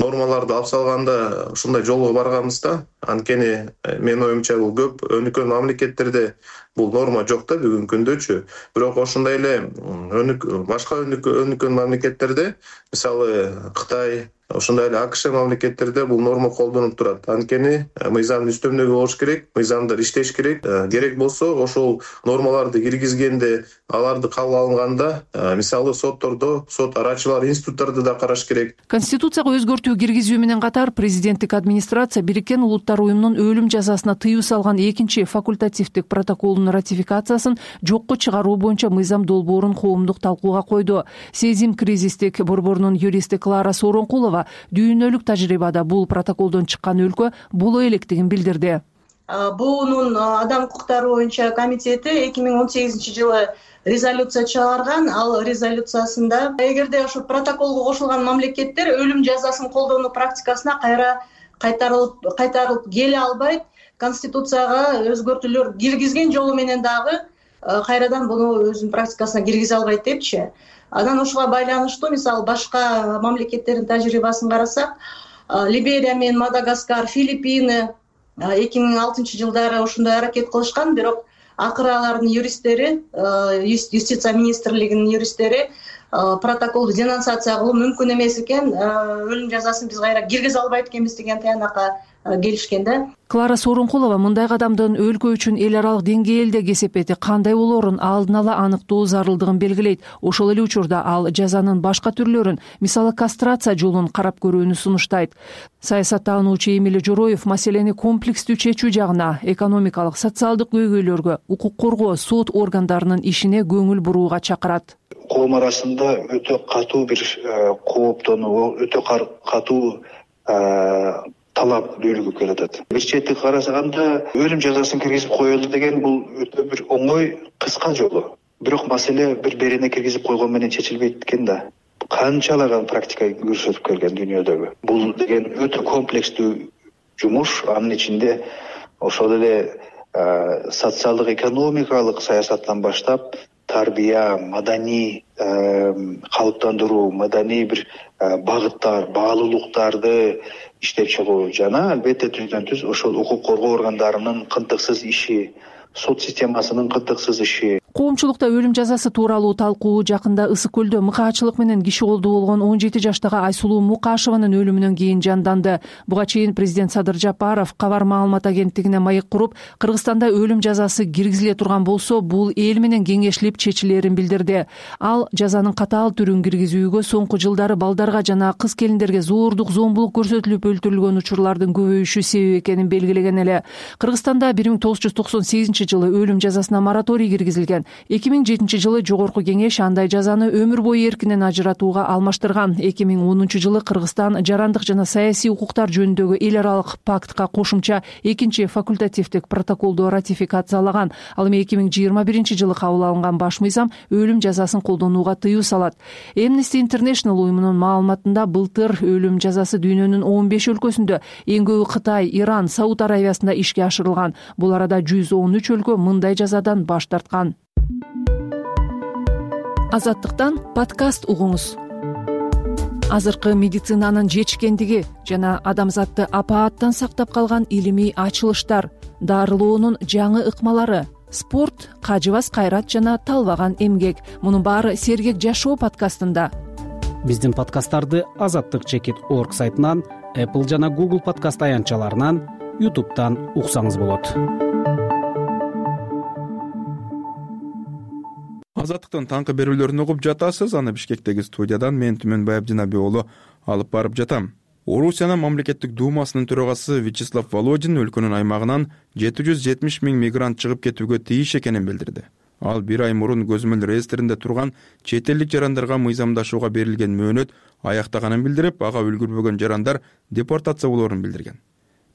нормаларды алып салганда ушундай жолго барганбыз да. Анткени менин оюмча бул көп өнүккөн мамлекеттерде бул норма жок да бүгүнкү күндөчү. Бирок ошондой эле башка өнүккөн мамлекеттерде, мисалы Кытай, ошондой эле АКШ мамлекеттерде бул норма колдонулуп турат. Анткени мыйзамдын үстөмдөгү болуш керек, мыйзамдар иштеш керек. Керек болсо ошол нормаларды киргизгенде, аларды кабыл алынганда, мисалы соттордо, сот арачылар институттарды да караш керек. Конституцияга өзгөртүү киргизүү менен катар президенттик администрация Бириккен Улуттар уюмунун өлүм жазасына тыюу салган 2-факультативдик протоколдун ратификациясын жокко чыгаруу боюнча мыйзам долбоорун коомдук талкууга койду. Сезим кризистик борборунун юристи Клара Сооронкулова дүйнөлүк тажрыйбада бул протоколдон чыккан өлкө боло электигин билдирди. БУнун адам укуктары боюнча комитети 2018-жылы резолюция чыгарган. Ал резолюциясында эгерде ошо протоколго кошулган мамлекеттер өлүм жазасын колдонуу практикасына кайтарылып келе албайт, Конституцияга өзгөртүүлөр киргизген жолу менен дагы кайрадан буну өзүнүн практикасына киргизе албайт депчи. Анан ошого байланыштуу мисалы башка мамлекеттердин тажрыйбасын карасак, Либерия менен Мадагаскар, Филиппины 2006-жылдары ушундай аракет кылышкан, бирок акыры алардын юристтери, юстиция министрлигинин юристтери протоколду денонсация кылуу мүмкүн эмес экен, өлүм жазасын биз кайра киргизе албайт экенбиз деген таянакка келишкен да. Клара Сооронкулова мындай кадамдын өлкө үчүн эл аралык деңгээлде кесепети кандай болоорун алдын ала аныктоо зарылдыгын белгилейт. Ошол эле учурда ал жазанын башка түрлөрүн, мисалы кастрация жолун карап көрүүнү сунуштайт. Саясаттануучу Эмиль Жороев маселени комплекстүү чечүү жагына, экономикалык, социалдык көйгөйлөргө, укук коргоо, сот органдарынын ишине көңүл бурууга чакырат. Коом арасында өтө катуу бир кооптонуу, өтө катуу талап дүүлүгүп келатат. Бир четти карасаганда өлүм жазасын киргизип коелу деген бул өтө бир оңой, кыска жолу. Бирок маселе бир берине киргизип койгон менен чечилбейт экен да. Канчалаган практика көрсөтүп келген дүйнөдөгү. Бул деген өтө комплекстүү жумуш, анын ичинде ошол эле социалдык, экономикалык саясаттан баштап тарбия, маданий калыптандыруу, маданий бир багыттар, баалуулуктарды иштеп чыгуу жана албетте түздөн түз ошол укук коргоо органдарынын кынтыксыз иши, сот системасынын кынтыксыз иши. Коомчулукта өлүм жазасы тууралуу талкуу жакында Ысык көлдө мыкаачылык менен киши колду болгон 17 жаштагы Айсулуу Мукашеванын өлүмүнөн кийин жанданды. Буга чейин президент Садыр Жапаров кабар маалымат агенттигине маек куруп, Кыргызстанда өлүм жазасы киргизиле турган болсо, бул эл менен кеңешилип чечилерин билдирди. Ал жазанын катаал түрүн киргизүүгө соңку жылдары балдарга жана кыз келиндерге зордук, зомбулук көрсөтүлүп өлтүрүлгөн учурлардын көбөйүшү себеп экенин белгилеген эле. Кыргызстанда 1998-жылы өлүм жазасына мораторий киргизилген. 2007-жылы Жогорку кеңеш андай жазаны өмүр бою эркинен ажыратууга алмаштырган. 2010-жылы Кыргызстан жарандык жана саясий укуктар жөнүндөгү эл аралык пактка кошумча 2-факультативдик протоколду ратификациялаган. Ал эми 2021-жылы кабыл алынган баш мыйзам өлүм жазасын колдонууга тыюу салат. Amnesty International уюмунун маалыматында былтыр өлүм жазасы дүйнөнүн 15 өлкөсүндө, эң көбү Кытай, Иран, Сауд Аравиясында ишке ашырылган. Бул арада 113 өлкө мындай жазадан баш тарткан. Азаттыктан подкаст угуңуз. Азыркы медицинанын жетишкендиги жана адамзатты апааттан сактап калган илимий ачылыштар, дарылоонун жаңы ыкмалары, спорт, кажыбас кайрат жана талбаган эмгек — мунун баары Сергек жашоо подкастында. Биздин подкасттарды azattik.org сайтынан, Apple жана Google подкаст аянтчаларынан, YouTube'дан уксаңыз болот. Азаттыктын таңкы берүүлөрүн угуп жатасыз. Аны Бишкектеги студиядан мен Түмөнбаев Жанабек уулу алып барып жатам. Орусиянын мамлекеттик думасынын төрагасы Вячеслав Володин өлкөнүн аймагынан 770 000 мигрант чыгып кетүүгө тийиш экенин билдирди. Ал бир ай мурун көзөмөл реестринде турган чет элдик жарандарга мыйзамдашууга берилген мөөнөт аяктаганын билдирип, ага үлгүрбөгөн жарандар депортация болоорун билдирген.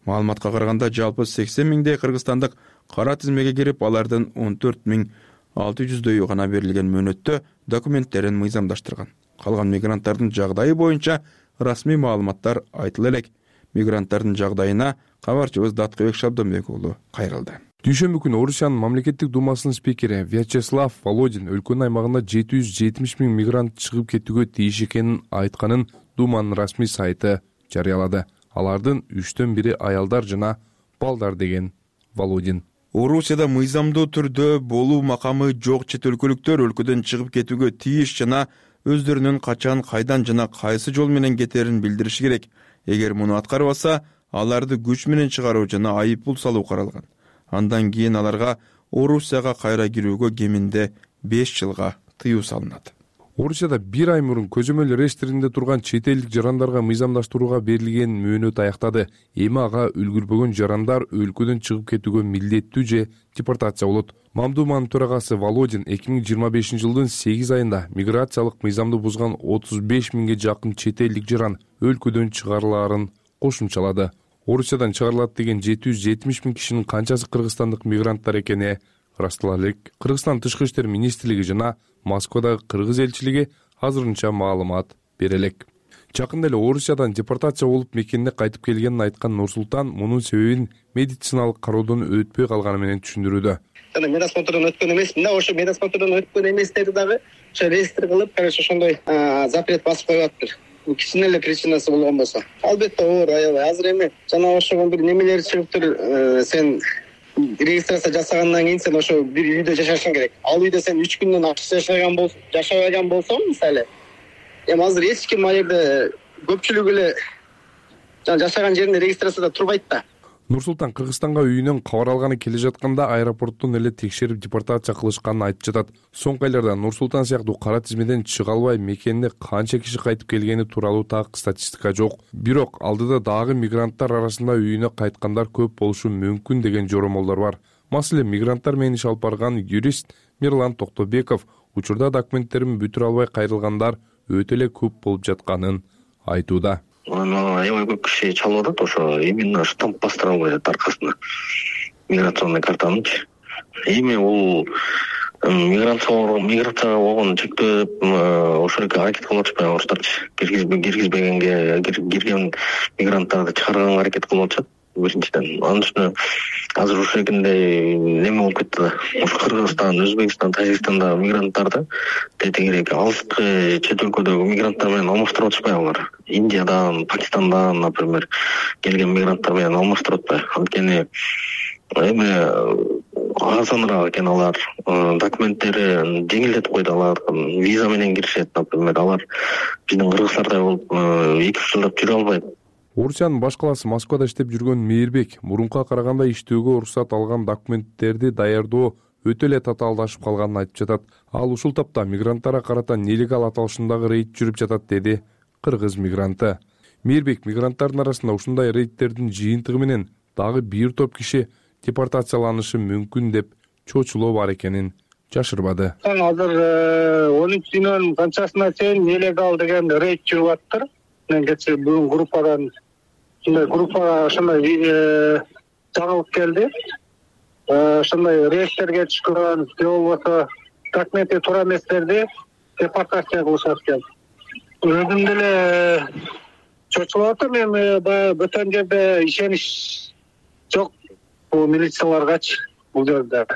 Маалыматка караганда жалпы 80 000дей кыргызстандык кара тизмеге кирип, алардын 14 600дөйү гана берилген мөөнөттө документтерин мыйзамдаштырган. Калган мигранттардын жагдайы боюнча расмий маалыматтар айтыла элек. Мигранттардын жагдайына кабарчыбыз Даткыбек Шабдонбек уулу кайрылды. Дүйшөмбү күнү Орусиянын мамлекеттик думасынын спикери Вячеслав Володин өлкөнүн аймагында 770 000 мигрант чыгып кетүүгө тийиш экенин айтканын думанын расмий сайты жарыялады. Алардын 1/3 аялдар жана балдар деген Володин. Орусияда мыйзамдуу түрдө болуу макамы жок чет өлкөлүктөр өлкөдөн чыгып кетүүгө тийиш жана өздөрүнүн качан, кайдан жана кайсы жол менен кетерин билдириши керек. Эгер муну аткарбаса, аларды күч менен чыгаруу жана айып пул салуу каралган. Андан кийин аларга Орусияга кайра кирүүгө кеминде 5 жылга тыюу салынат. Орусияда бир ай мурун көзөмөл реестринде турган чет элдик жарандарга мыйзамдаштырууга берилген мөөнөт аяктады. Эми ага үлгүрбөгөн жарандар өлкөдөн чыгып кетүүгө милдеттүү же депортация болот. Мамдуманын төрагасы Володин 2025 жылдын 8 айында миграциялык мыйзамды бузган 35 000ге жакын чет элдик жаран өлкөдөн чыгарылаарын кошумчалады. Орусиядан чыгарылат деген 770 000 кишинин канчасы кыргызстандык мигранттар экени ырастала элек. Кыргызстан Тышкы иштер министрлиги жана Москвадагы кыргыз элчилиги азырынча маалымат бере элек. Жакында эле Орусиядан депортация болуп мекенине кайтып келгенин айткан Нурсултан мунун себебин медициналык кароодон өтпөй калганы менен түшүндүрүүдө. Жана медосмотрдон өткөн эмесмин да, ошо медосмотрдон өткөн эместерди дагы ошо реестр кылып, короче, ошондой запрет басып коюптыр. Кичине эле причинасы болгон болсо. Албетте оор, аябай азыр эми. Жана ошого бир немелер чыгыптыр, сен регистрация жасагандан кийин сен ошо бир үйдө жашашың керек. Ал үйдө сен 3 күндөн ашык жашабаган болсоң, мисалы, эми азыр эч ким ал жерде көпчүлүк эле жашаган жеринде регистрацияда турбайт да. Нурсултан Кыргызстанга үйүнөн кабар алганы келе жатканда аэропорттон эле текшерип депортация кылышканын айтып жатат. Соңку айларда Нурсултан сыяктуу кара тизмеден чыга албай мекенине канча киши кайтып келгени тууралуу так статистика жок. Бирок алдыда дагы мигранттар арасында үйүнө кайткандар көп болушу мүмкүн деген жоромолдор бар. Маселен, мигранттар менен иш алып барган юрист Мирлан Токтобеков учурда документтерин бүтүрө албай кайрылгандар өтө эле көп болуп жатканын айтууда. Аябай көп киши чалып атат, ошо именно штамп бастыра албай атат аркасында миграционный картанычы. Эми бул миграцияга болгон чектөө ошол эле аракет кылып атышпайбы орустарчы? Киргизбегенге, кирген мигранттарды чыгарганга аракет кылып атышат. Биринчиден, анын үстүнө азыр ушул экендей неме болуп кетти да. Ушу Кыргызстан, Өзбекстан, Тажикстанда мигранттарды тегерек алыскы чет өлкөдөгү мигранттар менен алмаштырып атышпайбы алар? Индиядан, Пакистандан, например, келген мигранттар менен алмаштырып атпайбы? Анткени эми арзаныраак экен алар, документтерин жеңилдетип койду, алар виза менен киришет, например, алар биздин кыргыздардай болуп 2-3 жылдап жүрө албайт. Орусиянын баш калаасы Москвада иштеп жүргөн Мейирбек мурункуга караганда иштөөгө уруксат алган документтерди даярдоо өтө эле татаалдашып калганын айтып жатат. Ал ушул тапта мигранттарга карата нелегал аталышындагы рейд жүрүп жатат, деди кыргыз мигранты. Мейирбек мигранттардын арасында ушундай рейдтердин жыйынтыгы менен дагы бир топ киши депортацияланышы мүмкүн деп чочулоо бар экенин жашырбады. Азыр 13-нын канчасына чейин нелегал деген рейд жүрүп аттыр. Мен кечээ бүгүн группадан ошондой жаңылык келди. Ошондой рейдтерге түшкөн, же болбосо документи туура эместерди депортация кылышат экен. Өзүм деле чочулуп атам, эми баягы бөтөн жерде ишенич жок бул милицияларгачы бул жерде.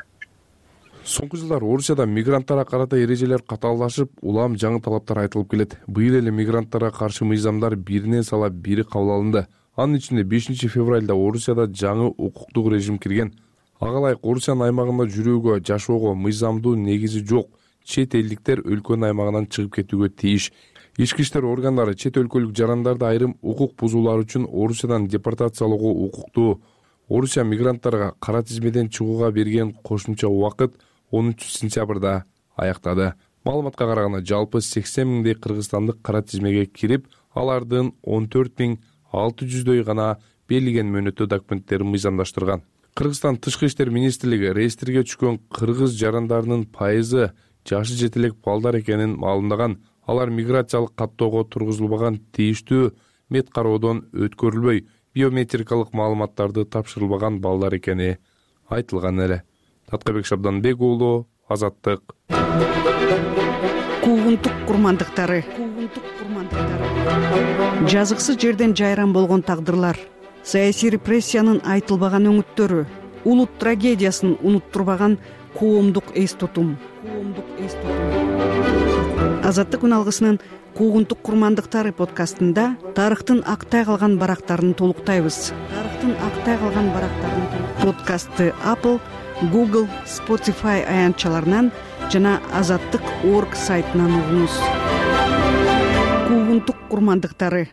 Соңку жылдары Орусияда мигранттарга карата эрежелер катаалдашып, улам жаңы талаптар айтылып келет. Быйыл эле мигранттарга каршы мыйзамдар биринен сала бири кабыл алынды. Анын ичинде 5 февралда Орусияда жаңы укуктук режим кирген. Ага ылайык Орусиянын аймагында жүрүүгө, жашоого мыйзамдуу негизи жок. Чет элдиктер өлкөнүн аймагынан чыгып кетүүгө тийиш. Ички иштер органдары чет өлкөлүк жарандарды айрым укук бузуулар үчүн Орусиядан депортациялоого укуктуу. Орусия мигранттарга кара тизмеден чыгууга берген кошумча убакыт 13 сентябрда аяктады. Маалыматка караганда жалпы 80 миңдей кыргызстандык кара тизмеге кирип, алардын 14.600дөй гана берилген мөөнөттүү документтерин мыйзамдаштырган. Кыргызстан Тышкы иштер министрлиги реестрге түшкөн кыргыз жарандарынын пайызы жашы жете элек балдар экенин маалымдаган. Алар миграциялык каттоого тургузулбаган, тийиштүү мед кароодон өткөрүлбөй, биометрикалык маалыматтарды тапшырылбаган балдар экени айтылган эле. Таткабек Шабданбек уулу, Азаттык. Куугунтук курмандыктары. Жазыксыз жерден жайран болгон тагдырлар, саясий репрессиянын айтылбаган өңүттөрү, улут трагедиясын унуттурбаган коомдук эс тутум. Азаттык күн алгысынын Куугунтук курмандыктары подкастында тарыхтын актай калган барактарын толуктайбыз. Подкастты Apple, Google, Spotify аянтчаларынан жана Азаттык.org сайтынан угуңуз. Куугунтук курмандыктары.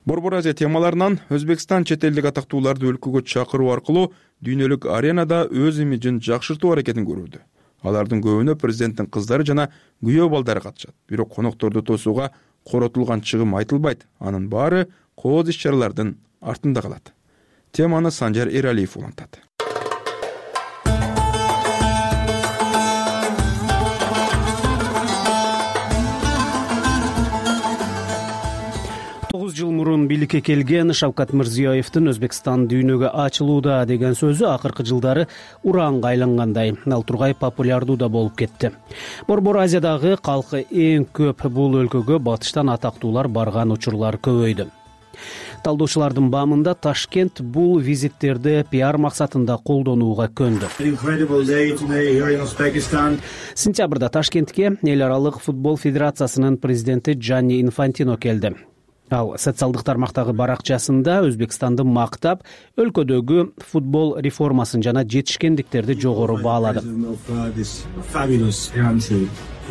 Борбор Азия темаларынан Өзбекстан чет элдик атактууларды өлкөгө чакыруу аркылуу дүйнөлүк аренада өз имиджин жакшыртуу аракетин көрүүдө. Алардын көбүнө президенттин кыздары жана күйөө балдары катышат. Бирок конокторду тосууга коротулган чыгым айтылбайт. Анын баары кооз иш-чаралардын артында калат. Теманы Санжар Эралиев улантат. 9 жыл мурун бийликке келген Шавкат Мирзиёевдин Өзбекстан дүйнөгө ачылууда деген сөзү акыркы жылдары ураанга айлангандай. Ал тургай популярдуу да болуп кетти. Борбор Азиядагы калкы эң көп бул өлкөгө батыштан атактуулар барган учурлар көбөйдү. Талдоочулардын баамында Ташкент бул визиттерди пиар максатында колдонууга көндү. Сентябрда Ташкентке эл аралык футбол федерациясынын президенти Джанни Инфантино келди. Ал социалдык тармактагы баракчасында Өзбекстанды мактап, өлкөдөгү футбол реформасын жана жетишкендиктерди жогору баалады.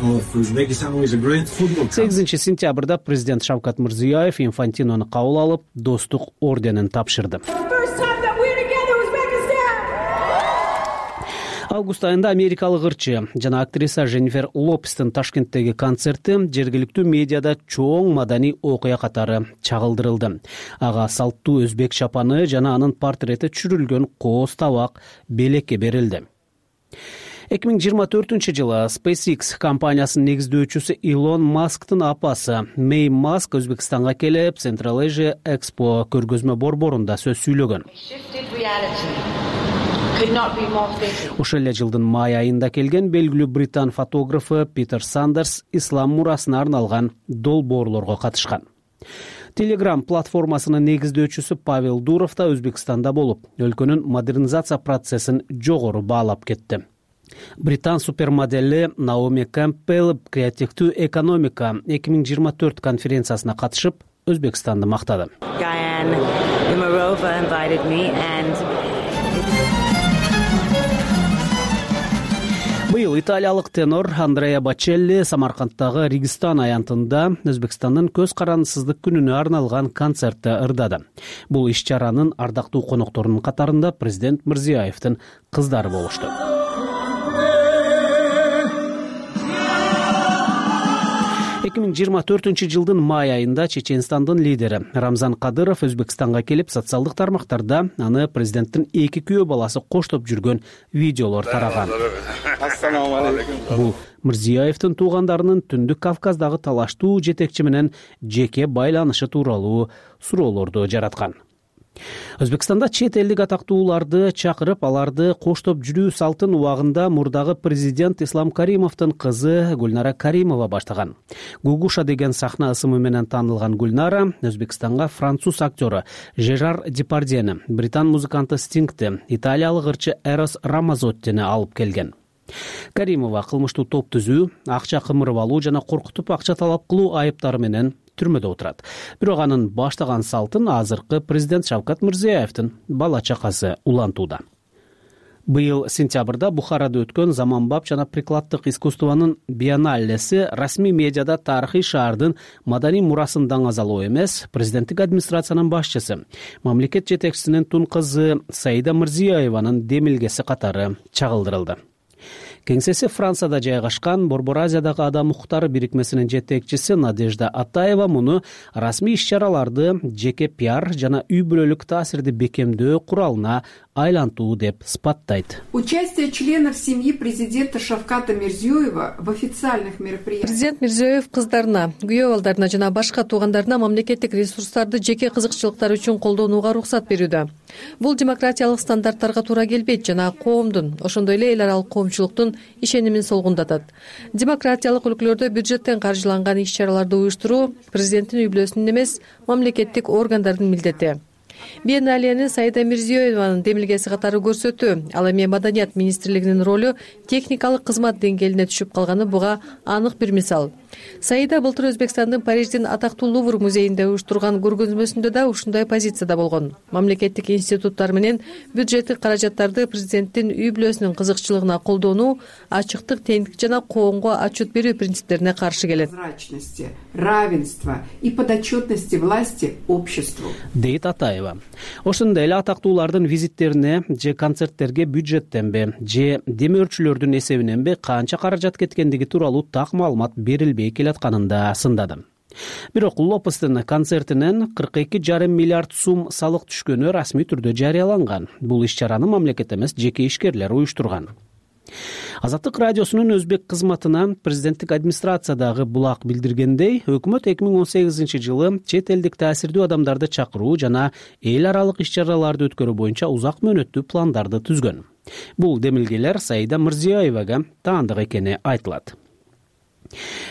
8 сентябрда президент Шавкат Мирзиёев Инфантинону кабыл алып, достук орденин тапшырды. Август айында америкалык ырчы жана актриса Дженнифер Лопестин Ташкенттеги концерти жергиликтүү медиада чоң маданий окуя катары чагылдырылды. Ага салттуу өзбек чапаны жана анын портрети түшүрүлгөн кооз табак белекке берилди. 2024-жылы SpaceX компаниясынын негиздөөчүсү Илон Масктын апасы Мэй Маск Өзбекстанга келип, Central Asia Expo көргөзмө борборунда сөз сүйлөгөн. Ошол эле жылдын май айында келген белгилүү британ фотографы Питер Сандерс ислам мурасына арналган долбоорлорго катышкан. Telegram платформасынын негиздөөчүсү Павел Дуров да Өзбекстанда болуп, өлкөнүн модернизация процессин жогору баалап кетти. Британ супермодели Наоми Кэмпбелл креативдүү экономика 2024 конференциясына катышып, Өзбекстанды мактады. Быйыл италиялык тенор Андреа Бачелли Самаркандтагы Регистан аянтында Өзбекстандын көз карандысыздык күнүнө арналган концертте ырдады. Бул иш-чаранын ардактуу конокторунун катарында президент Мирзиёевдин кыздары болушту. 2024 жылдын май айында Чеченстандын лидери Рамзан Кадыров Өзбекстанга келип, социалдык тармактарда аны президенттин 2 күйөө баласы коштоп жүргөн видеолор тараган. Бул Мирзиёевдин туугандарынын Түндүк Кавказдагы талаштуу жетекчи менен жеке байланышы тууралуу суроолорду жараткан. Өзбекстанда чет элдик атактууларды чакырып, аларды коштоп жүрүү салтын убагында мурдагы президент Ислам Каримовдун кызы Гүлнара Каримова баштаган. Гугуша деген сахна ысымы менен таанылган Гүлнара Өзбекстанга француз актёру Жерар Депардьени, британ музыканты Стингти, италиялык ырчы Эрос Рамазоттини алып келген. Каримова кылмыштуу топ түзүү, акча кымырып алуу жана коркутуп акча талап кылуу айыптары менен түрмөдө отурат. Бирок анын баштаган салтын азыркы президент Шавкат Мирзиёевдин бала чакасы улантууда. Быйыл сентябрда Бухарада өткөн заманбап жана прикладдык искусствонун биенналеси расмий медиада тарыхый шаардын маданий мурасын даңазалоо эмес, президенттик администрациянын башчысы, мамлекет жетекчисинин тун кызы Саида Мирзиёеванын демилгеси катары чагылдырылды. Кеңсеси Францияда жайгашкан Борбор Азиядагы адам укуктары бирикмесинин жетекчиси Надежда Атаева муну расмий иш-чараларды жеке пиар жана үй бүлөлүк таасирди бекемдөө куралына айлантуу деп сыпаттайт. Участие членов семьи президента Шавката Мирзиёева в официальных мероприятиях. Президент Мирзиёев кыздарына, күйөө балдарына жана башка туугандарына мамлекеттик ресурстарды жеке кызыкчылыктары үчүн колдонууга уруксат берүүдө. Бул демократиялык стандарттарга туура келбейт жана коомдун, ошондой эле эл аралык коомчулуктун ишенимин солгундатат. Демократиялык өлкөлөрдө бюджеттен каржыланган иш-чараларды уюштуруу президенттин үй бүлөсүнүн эмес, мамлекеттик органдардын милдети. Биенналени Саида Мирзиёеванын демилгеси катары көрсөтүү, ал эми Маданият министрлигинин ролу техникалык кызмат деңгээлине түшүп калганы буга анык бир мисал. Саида былтыр Өзбекстандын Париждин атактуу Лувр музейинде уюштурган көргөзмөсүндө да ушундай позицияда болгон. Мамлекеттик институттар менен бюджеттик каражаттарды президенттин үй бүлөсүнүн кызыкчылыгына колдонуу, ачыктык, теңдик жана коомго отчет берүү принциптерине каршы келет. Равенство и подотчетности власти обществу. Дейт Атаева. Ошондой эле атактуулардын визиттерине же концерттерге бюджеттенби, же демөөрчүлөрдүн эсебиненби канча каражат кеткендиги тууралуу так маалымат берилбей келатканын да сындады. Бирок Лопестин концертинен 42,5 миллиард сум салык түшкөнү расмий түрдө жарыяланган. Бул иш-чараны мамлекет эмес, жеке ишкерлер уюштурган. Азаттык радиосунун өзбек кызматына президенттик администрациядагы булак билдиргендей, өкмөт 2018 жылы чет элдик таасирдүү адамдарды чакыруу жана эл аралык иш-чараларды өткөрүү боюнча узак мөөнөттүү пландарды түзгөн. Бул демилгелер Саида Мирзиёевага таандык экени айтылат.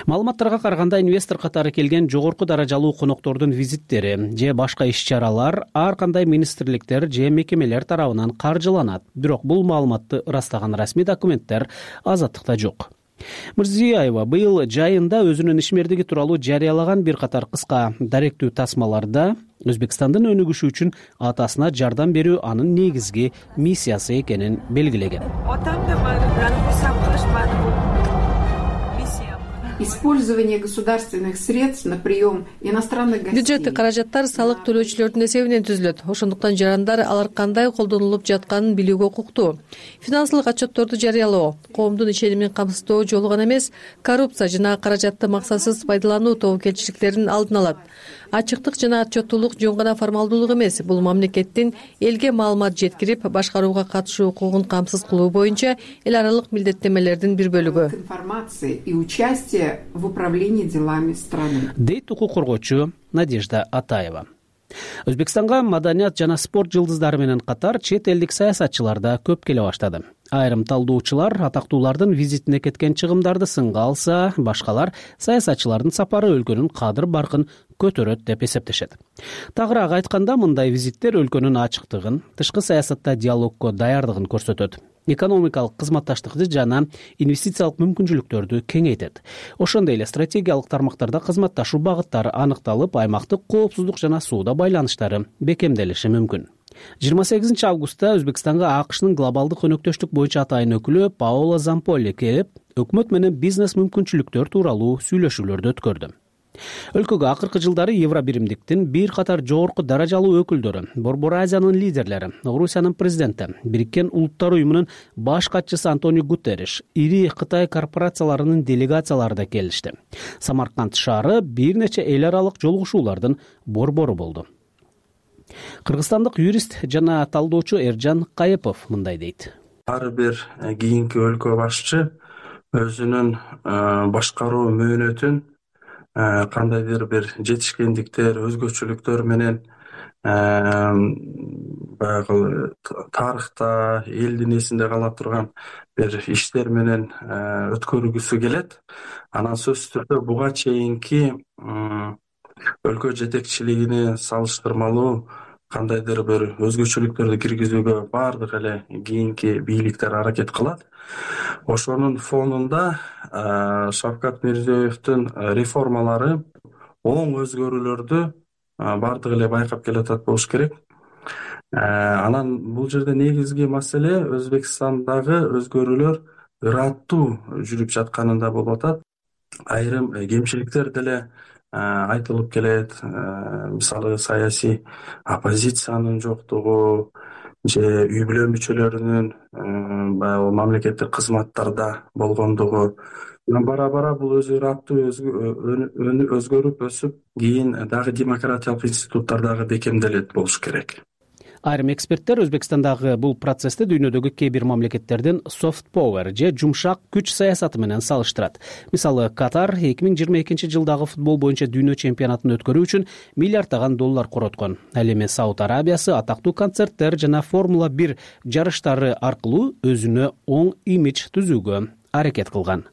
Маалыматтарга караганда, инвестор катары келген жогорку даражалуу коноктордун визиттери же башка иш-чаралар ар кандай министрликтер же мекемелер тарабынан каржыланат. Бирок бул маалыматты ырастаган расмий документтер Азаттыкта жок. Мирзиёева быйыл жайында өзүнүн ишмердиги тууралуу жарыялаган бир катар кыска даректүү тасмаларда Өзбекстандын өнүгүшү үчүн атасына жардам берүү анын негизги миссиясы экенин белгилеген. Использование государственных средств на прием иностранных гостей. Бюджеттик каражаттар салык төлөөчүлөрдүн эсебинен түзүлөт. Ошондуктан жарандар алар кандай колдонулуп жатканын билүүгө укуктуу. Финансылык отчетторду жарыялоо, коомдун ишенимин камсыздоо жолу гана эмес, коррупция жана каражатты максатсыз пайдалануу тобокелчиликтерин алдын алат. Ачыктык жана отчеттуулук жөн гана формалдуулук эмес, бул мамлекеттин элге маалымат жеткирип, башкарууга катышуу укугун камсыз кылуу боюнча эл аралык милдеттенмелердин бир бөлүгү. Информация и участие в управлении делами страны. Дейт укук коргоочу Надежда Атаева. Өзбекстанга маданият жана спорт жылдыздары менен катар чет элдик саясатчылар да көп келе баштады. Айрым талдоочулар атактуулардын визитине кеткен чыгымдарды сынга алса, башкалар саясатчылардын сапары өлкөнүн кадыр баркын көтөрөт деп эсептешет. Тагыраак айтканда, мындай визиттер өлкөнүн ачыктыгын, тышкы саясатта диалогко даярдыгын көрсөтөт. Экономикалык кызматташтыкты жана инвестициялык мүмкүнчүлүктөрдү кеңейтет. Ошондой эле стратегиялык тармактарда кызматташуу багыттары аныкталып, аймактык коопсуздук жана сууда байланыштары бекемделиши мүмкүн. 28 августта Өзбекстанга АКШнын глобалдык өнөктөштүк боюнча атайын өкүлү Паоло Замполи келип, өкмөт менен бизнес мүмкүнчүлүктөр тууралуу сүйлөшүүлөрдү өткөрдү. Өлкөгө акыркы жылдары Евробиримдиктин бир катар жогорку даражалуу өкүлдөрү, Борбор Азиянын лидерлери, Орусиянын президенти, Бириккен Улуттар уюмунун баш катчысы Антонио Гутерриш, ири Кытай корпорацияларынын делегациялары да келишти. Самарканд шаары бир нече эл аралык жолугушуулардын борбору болду. Кыргызстандык юрист жана талдоочу Эржан Кайыпов мындай дейт. Ар бир кийинки өлкө башчы өзүнүн башкаруу мөөнөтүн кандайдыр бир жетишкендиктер, өзгөчөлүктөр менен баягы тарыхта элдин эсинде кала турган бир иштер менен өткөргүсү келет. Анан сөзсүз түрдө буга чейинки өлкө жетекчилигине салыштырмалуу кандайдыр бир өзгөчөлүктөрдү киргизүүгө баардык эле кийинки бийликтер аракет кылат. Ошонун фонунда Шавкат Мирзиёевдин реформалары оң өзгөрүүлөрдү баардык эле байкап келатат болуш керек. Анан бул жерде негизги маселе Өзбекстандагы өзгөрүүлөр ыраттуу жүрүп жатканында болуп атат. Айрым кемчиликтер деле айтылып келет. Мисалы саясий оппозициянын жоктугу же үй бүлө мүчөлөрүнүн баягы мамлекеттик кызматтарда болгондугу. Бара бул өзү ыраттуу өзгөрүп өсүп, кийин дагы демократиялык институттар бекемделет болуш керек. Айрым эксперттер Өзбекстандагы бул процессти дүйнөдөгү кээ бир мамлекеттердин soft power же жумшак күч саясаты менен салыштырат. Мисалы, Катар 2022 жылдагы футбол боюнча дүйнө чемпионатын өткөрүү үчүн миллиарддаган доллар короткон. Ал эми Сауд Арабиясы атактуу концерттер жана Формула 1 жарыштары аркылуу өзүнө оң имидж түзүүгө аракет кылган.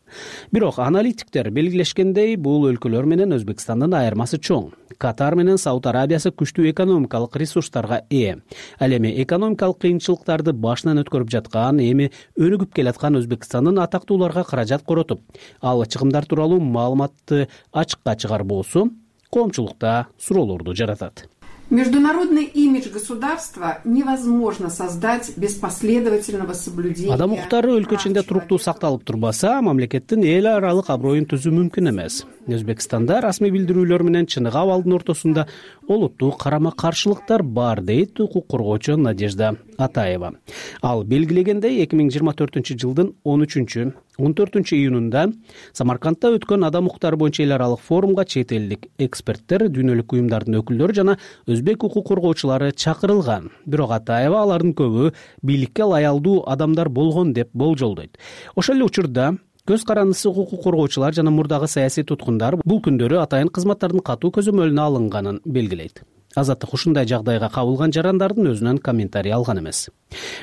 Бирок аналитиктер белгилешкендей, бул өлкөлөр менен Өзбекстандын айырмасы чоң. Катар менен Сауд Арабиясы күчтүү экономикалык ресурстарга ээ. Ал эми экономикалык кыйынчылыктарды башынан өткөрүп жаткан, эми өнүгүп келаткан Өзбекстандын атактууларга каражат коротуп, ал чыгымдар тууралуу маалыматты ачыкка чыгарбоосу коомчулукта суроолорду жаратат. Международный имидж государства невозможно создать без последовательного соблюдения. Адам укуктары өлкө ичинде туруктуу сакталып турбаса, мамлекеттин эл аралык аброюн түзүү мүмкүн эмес. Өзбекстанда расмий билдирүүлөр менен чыныгы абалдын ортосунда олуттуу карама-каршылыктар бар, дейт укук коргоочу Надежда Атаева. Ал белгилегендей, 2024 жылдын 13-14 июнунда Самаркандта өткөн адам укуктары боюнча эл аралык форумга чет элдик эксперттер, дүйнөлүк уюмдардын өкүлдөрү жана өзбек укук коргоочулары чакырылган. Бирок Атаева алардын көбү бийликке лаялдуу адамдар болгон деп болжолдойт. Ошол эле учурда көз карандысы укук коргоочулар жана мурдагы саясий туткундар бул күндөрү атайын кызматтардын катуу көзөмөлүнө алынганын белгилейт. Азаттык ушундай жагдайга кабылган жарандардын өзүнөн комментарий алган эмес.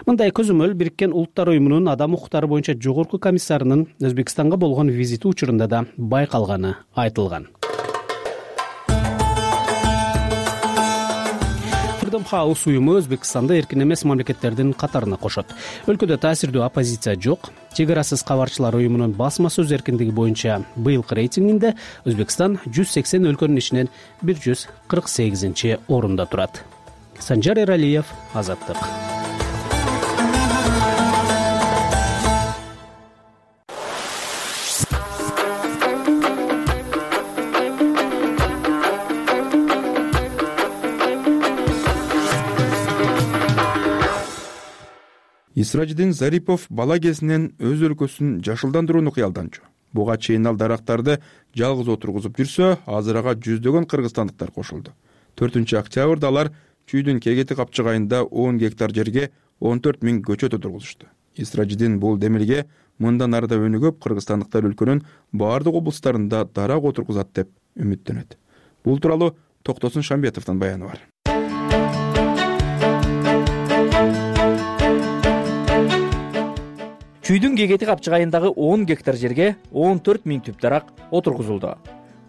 Мындай көзөмөл Бириккен Улуттар уюмунун адам укуктары боюнча жогорку комиссарынын Өзбекстанга болгон визити учурунда да байкалганы айтылган. Freedom House уюму Өзбекстанды эркин эмес мамлекеттердин катарына кошот. Өлкөдө таасирдүү оппозиция жок. Чек-арасыз кабарчылар уюмунун басма сөз эркиндиги боюнча быйылкы рейтингинде Өзбекстан 180 өлкөнүн ичинен 148 орунда турат. Санжар Эралиев, Азаттык. Исраджидин Зарипов бала кезинен өз өлкөсүн жашылдандырууну кыялданчу. Буга чейин ал дарактарды жалгыз отургузуп жүрсө, азыр ага жүздөгөн кыргызстандыктар кошулду. 4-октябрда алар Чүйдүн Кегети капчыгайында 10 гектар жерге 14 000 көчөт отургузушту. Исраджидин бул демилге мындан ары да өнүгүп, кыргызстандыктар өлкөнүн баардык облустарында дарак отургузат деп үмүттөнөт. Бул тууралуу Токтосун Шамбетовдун баяны бар. Чүйдүн Кегети капчыгайындагы 10 гектар жерге 14 000 түп дарак отургузулду.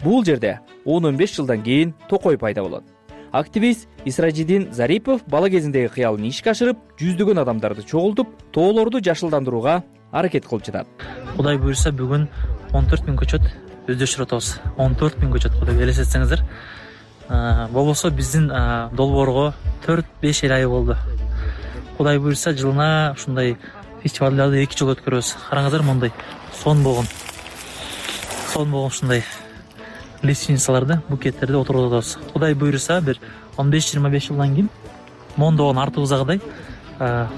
Бул жерде 10-15 жылдан кийин токой пайда болот. Активист Исраджидин Зарипов бала кезиндеги кыялын ишке ашырып, жүздөгөн адамдарды чогултуп, тоолорду жашылдандырууга аракет кылып жатат. Кудай буйрса, бүгүн 14 000 көчөт өздөрчүп атабыз. 14 000 көчөт кудай элестетсеңиздер. Болбосо биздин долбоорго 4-5 ай болду. Кудай буйрса, жылына ушундай фестивалдарды 2 жыл өткөрөбүз. Караңыздар, мондай сон болгон ушундай лестницаларды, букеттерди отургузуп атабыз. Кудай буйрса, бир 15-25 жылдан кийин мондогон артыбыздагыдай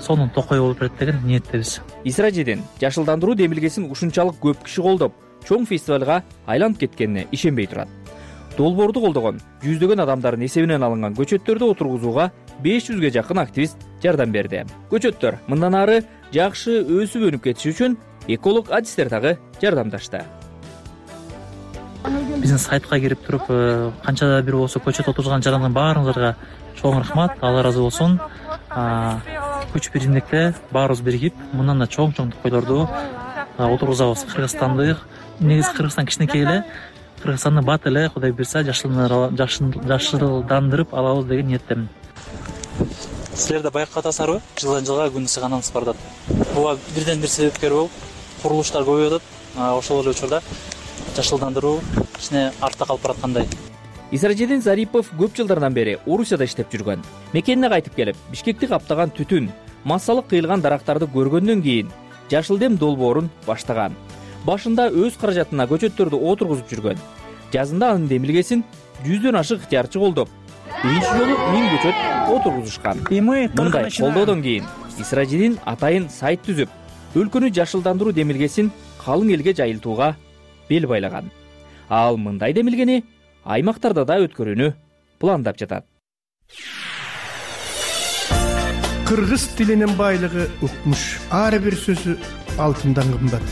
сонун токой болуп берет деген ниеттебиз. Исраджидин жашылдандыруу демилгесин ушунчалык көп киши колдоп, чоң фестивалга айланып кеткенине ишенбей турат. Долбоорду колдогон жүздөгөн адамдардын эсебинен алынган көчөттөрдү отургузууга 500ге жакын активист жардам берди. Көчөттөр мындан ары жакшы өсүп өнүп кетиши үчүн эколог адистер дагы жардамдашты. биздин сайтка кирип туруп канчада бир болсо көчөт отурган жарандын баарыңыздарга чоң рахмат, Алла ыраазы болсун. Күч биримдикте баарыбыз биригип мындан да чоң токойлорду отургузабыз. Кыргызстанды негизи Кыргызстан кичинекей эле, Кыргызстанды бат эле Кудай буйрса жашылдандырып алабыз деген ниеттемин. Силер да байкатасыңарбы? Жылдан жылга күн ысыганыңыз бардат. Буга бирден бир себепкер болуп курулуштар көбөйүп атат. Ошол эле учурда жашылдандыруу кичине артта калып бараткандай. Исражидин Зарипов көп жылдардан бери Орусияда иштеп жүргөн. Мекенине кайтып келип, Бишкекти каптаган түтүн, массалык кыйылган дарактарды көргөндөн кийин Жашыл дем долбоорун баштаган. Башында өз каражатына көчөттөрдү отургузуп жүргөн. Жазында анын демилгесин 100дөн ашык ыктыярчы колдоп, биринчи жолу 1000 көчөт отургузушкан. Мындай колдоодон кийин Исражидин атайын сайт түзүп, өлкөнү жашылдандыруу демилгесин калың элге жайылтууга бел байлаган. Ал мындай демилгени аймактарда да өткөрүүнү пландап жатат. Кыргыз тилинин байлыгы укмуш. Ар бир сөзү алтындан кымбат.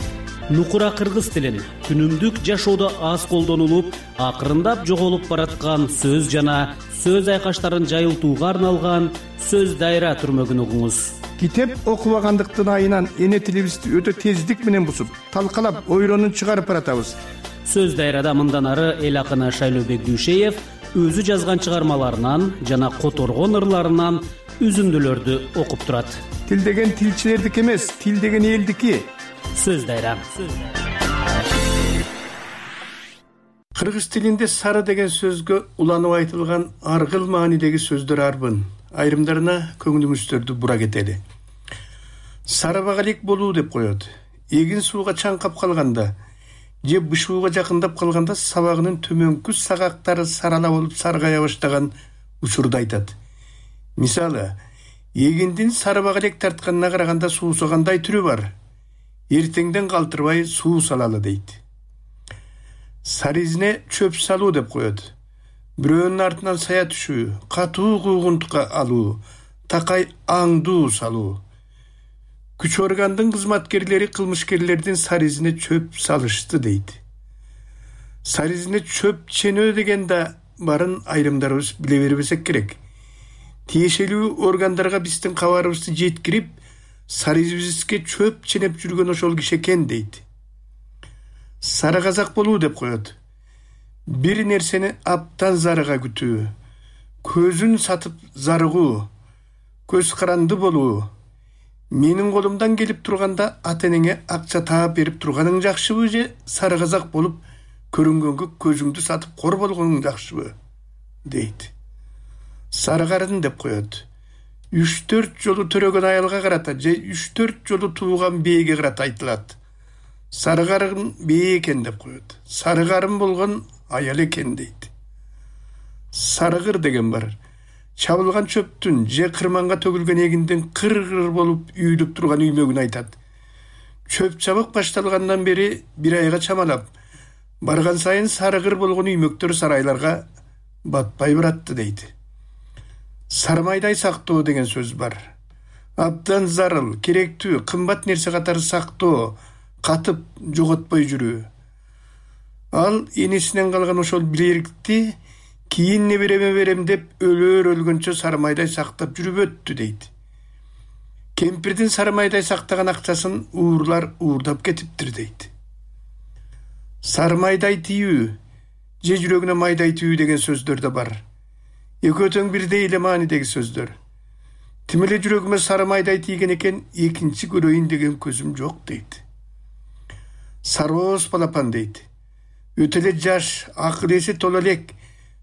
Нукура кыргыз тилин күнүмдүк жашоодо аз колдонулуп, акырындап жоголуп бараткан сөз жана сөз айкаштарын жайылтууга арналган сөз дайра түрмөгүн угуңуз. Китеп окубагандыктын айынан эне тилибизди өтө тездик менен бусуп, талкалап, ойронун чыгарып баратабыз. Сөз дайрада мындан ары эл акыны Шайлообек Дүйшеев өзү жазган чыгармаларынан жана которгон ырларынан үзүндүлөрдү окуп турат. Тил деген тилчилердики эмес, тил деген элдики. Сөз дайра. Кыргыз тилинде сары деген сөзгө уланып айтылган аргыл маанидеги сөздөр арбын. Айрымдарына көңүлүңүздөрдү бура кетели. Сары багалик болуу деп коет. Эгин сууга чаңкап калганда же бышууга жакындап калганда сабагынын төмөнкү сагактары сарала болуп саргая баштаган учурду айтат. Мисалы, эгиндин сары багалек тартканына караганда суусагандай түрү бар. Эртеңден калтырбай суу салалы дейт. Сары изине чөп салуу деп коет. Бирөөнүн артынан сая түшүү, катуу куугунтукка алуу, такай аңдуу салуу. Күч органдын кызматкерлери кылмышкерлердин сары изине чөп салышты дейт. Сары изине чөп ченөө деген да барын айрымдарыбыз биле бербесек керек. Тиешелүү органдарга биздин кабарыбызды жеткирип, сары изибизге чөп ченеп жүргөн ошол киши экен дейт. Сары казак болуу деп коет. Бир нерсени аптан зарыга күтүү, көзүн сатып зарыгуу, көз каранды болуу. Менин колумдан келип турганда ата-энеңе акча таап берип турганың жакшыбы же сары казак болуп көрүнгөнгө көзүңдү сатып кор болгоның жакшыбы дейт. Сары карын деп коет. 3-4 жолу төрөгөн аялга карата же 3-4 жолу тууган бээге карата айтылат. Сары карын бээ экен деп коет. Сары карын болгон аял экен дейт. Сарыгыр деген бар. Чабылган чөптүн же кырманга төгүлгөн эгиндин кыр-кыр болуп үйүлүп турган үймөгүн айтат. Чөп чабык башталгандан бери бир айга чамалап, барган сайын сарыгыр болгон үймөктөр сарайларга батпай баратты дейт. Сармайдай сактоо деген сөз бар. Абдан зарыл, керектүү, кымбат нерсе катары сактоо, катып жоготпой жүрүү. Ал энесинен калган ошол билерикти кийин небереме берем деп өлгөнчө сармайдай сактап жүрүп өттү дейт. Кемпирдин сармайдай сактаган акчасын уурлар уурдап кетиптир дейт. Сармайдай тийүү же жүрөгүнө майдай тийүү деген сөздөр да бар. Экөө тең бирдей эле маанидеги сөздөр. Тим эле жүрөгүмө сары майдай тийген экен, экинчи көрөйүн деген көзүм жок дейт. Сарооз балапан дейт. Өтө эле жаш, акыл эси тола элек,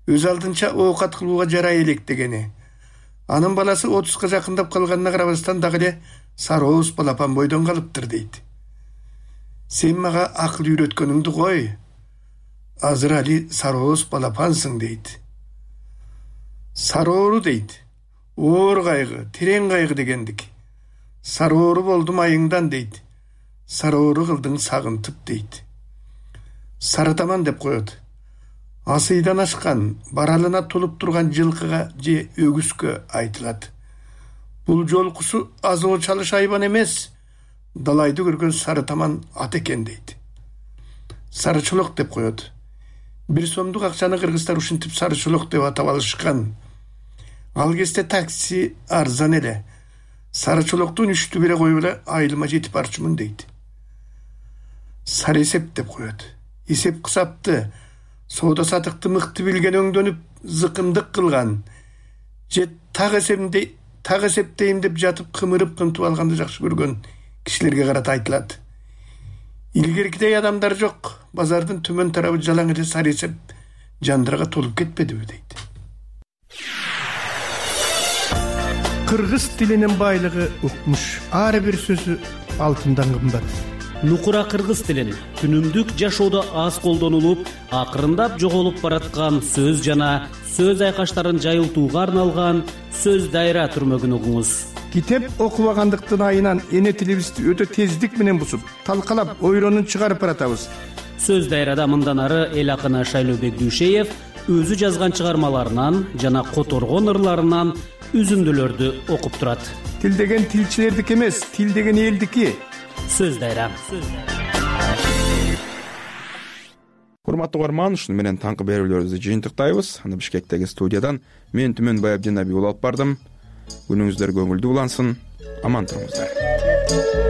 өз алдынча оокат кылууга жарай элек дегени. Анын баласы 30га жакындап калганына карабастан дагы эле сарооз балапан бойдон калыптыр дейт. Сен мага акыл үйрөткөнүңдү кой. Азыр али сарооз балапансың дейт. Сароору дейт. Оор кайгы, терең кайгы дегендик. Сароору болдум айыңдан дейт. Сароору кылдың сагынтып дейт. Сарытаман деп коет. Асыйдан ашкан, баралына толуп турган жылкыга же өгүзгө айтылат. Бул жолкусу азоо чалыш айбан эмес, далайды көргөн сарытаман ат экен дейт. Сарычолок деп коет. 1 сомдук акчаны кыргыздар ушинтип сары чолок деп атап алышкан. Ал кезде такси арзан эле. Сары чолоктун 3/1 коюп эле айылыма жетип барчумун дейт. Сары эсеп деп коет. Эсеп кысапты, соода сатыкты мыкты билген өңдөнүп зыкымдык кылган. Же так эсептейм деп жатып кымырып алганды жакшы көргөн кишилерге карата айтылат. Илгеркидей адамдар жок. Базардын төмөн тарабы жалаң эле сары эсеп жандырга толуп кетпедиби дейт. Кыргыз тилинин байлыгы укмуш. Ар бир сөзү алтындан кымбат. Нукура кыргыз тилин күнүмдүк жашоодо аз колдонулуп, акырындап жоголуп бараткан сөз жана сөз айкаштарын жайылтууга арналган сөз дайра түрмөгүн угуңуз. Китеп окубагандыктын айынан эне тилибизди өтө тездик менен бусуп, талкалап, ойронун чыгарып баратабыз. Сөз дайрада мындан ары эл акыны Шайлообек Дүйшеев өзү жазган чыгармаларынан жана которгон ырларынан үзүндүлөрдү окуп турат. Тил деген тилчилердики эмес, тил деген элдики. Сөз дайра. Урматтуу угарман, ушуну менен таңкы берүүлөрүбүздү жыйынтыктайбыз. Аны Бишкектеги студиядан мен Түмөн Байабдин Абий алып бардым. Күнүңүздөр көңүлдүү улансын. Аман туруңуздар.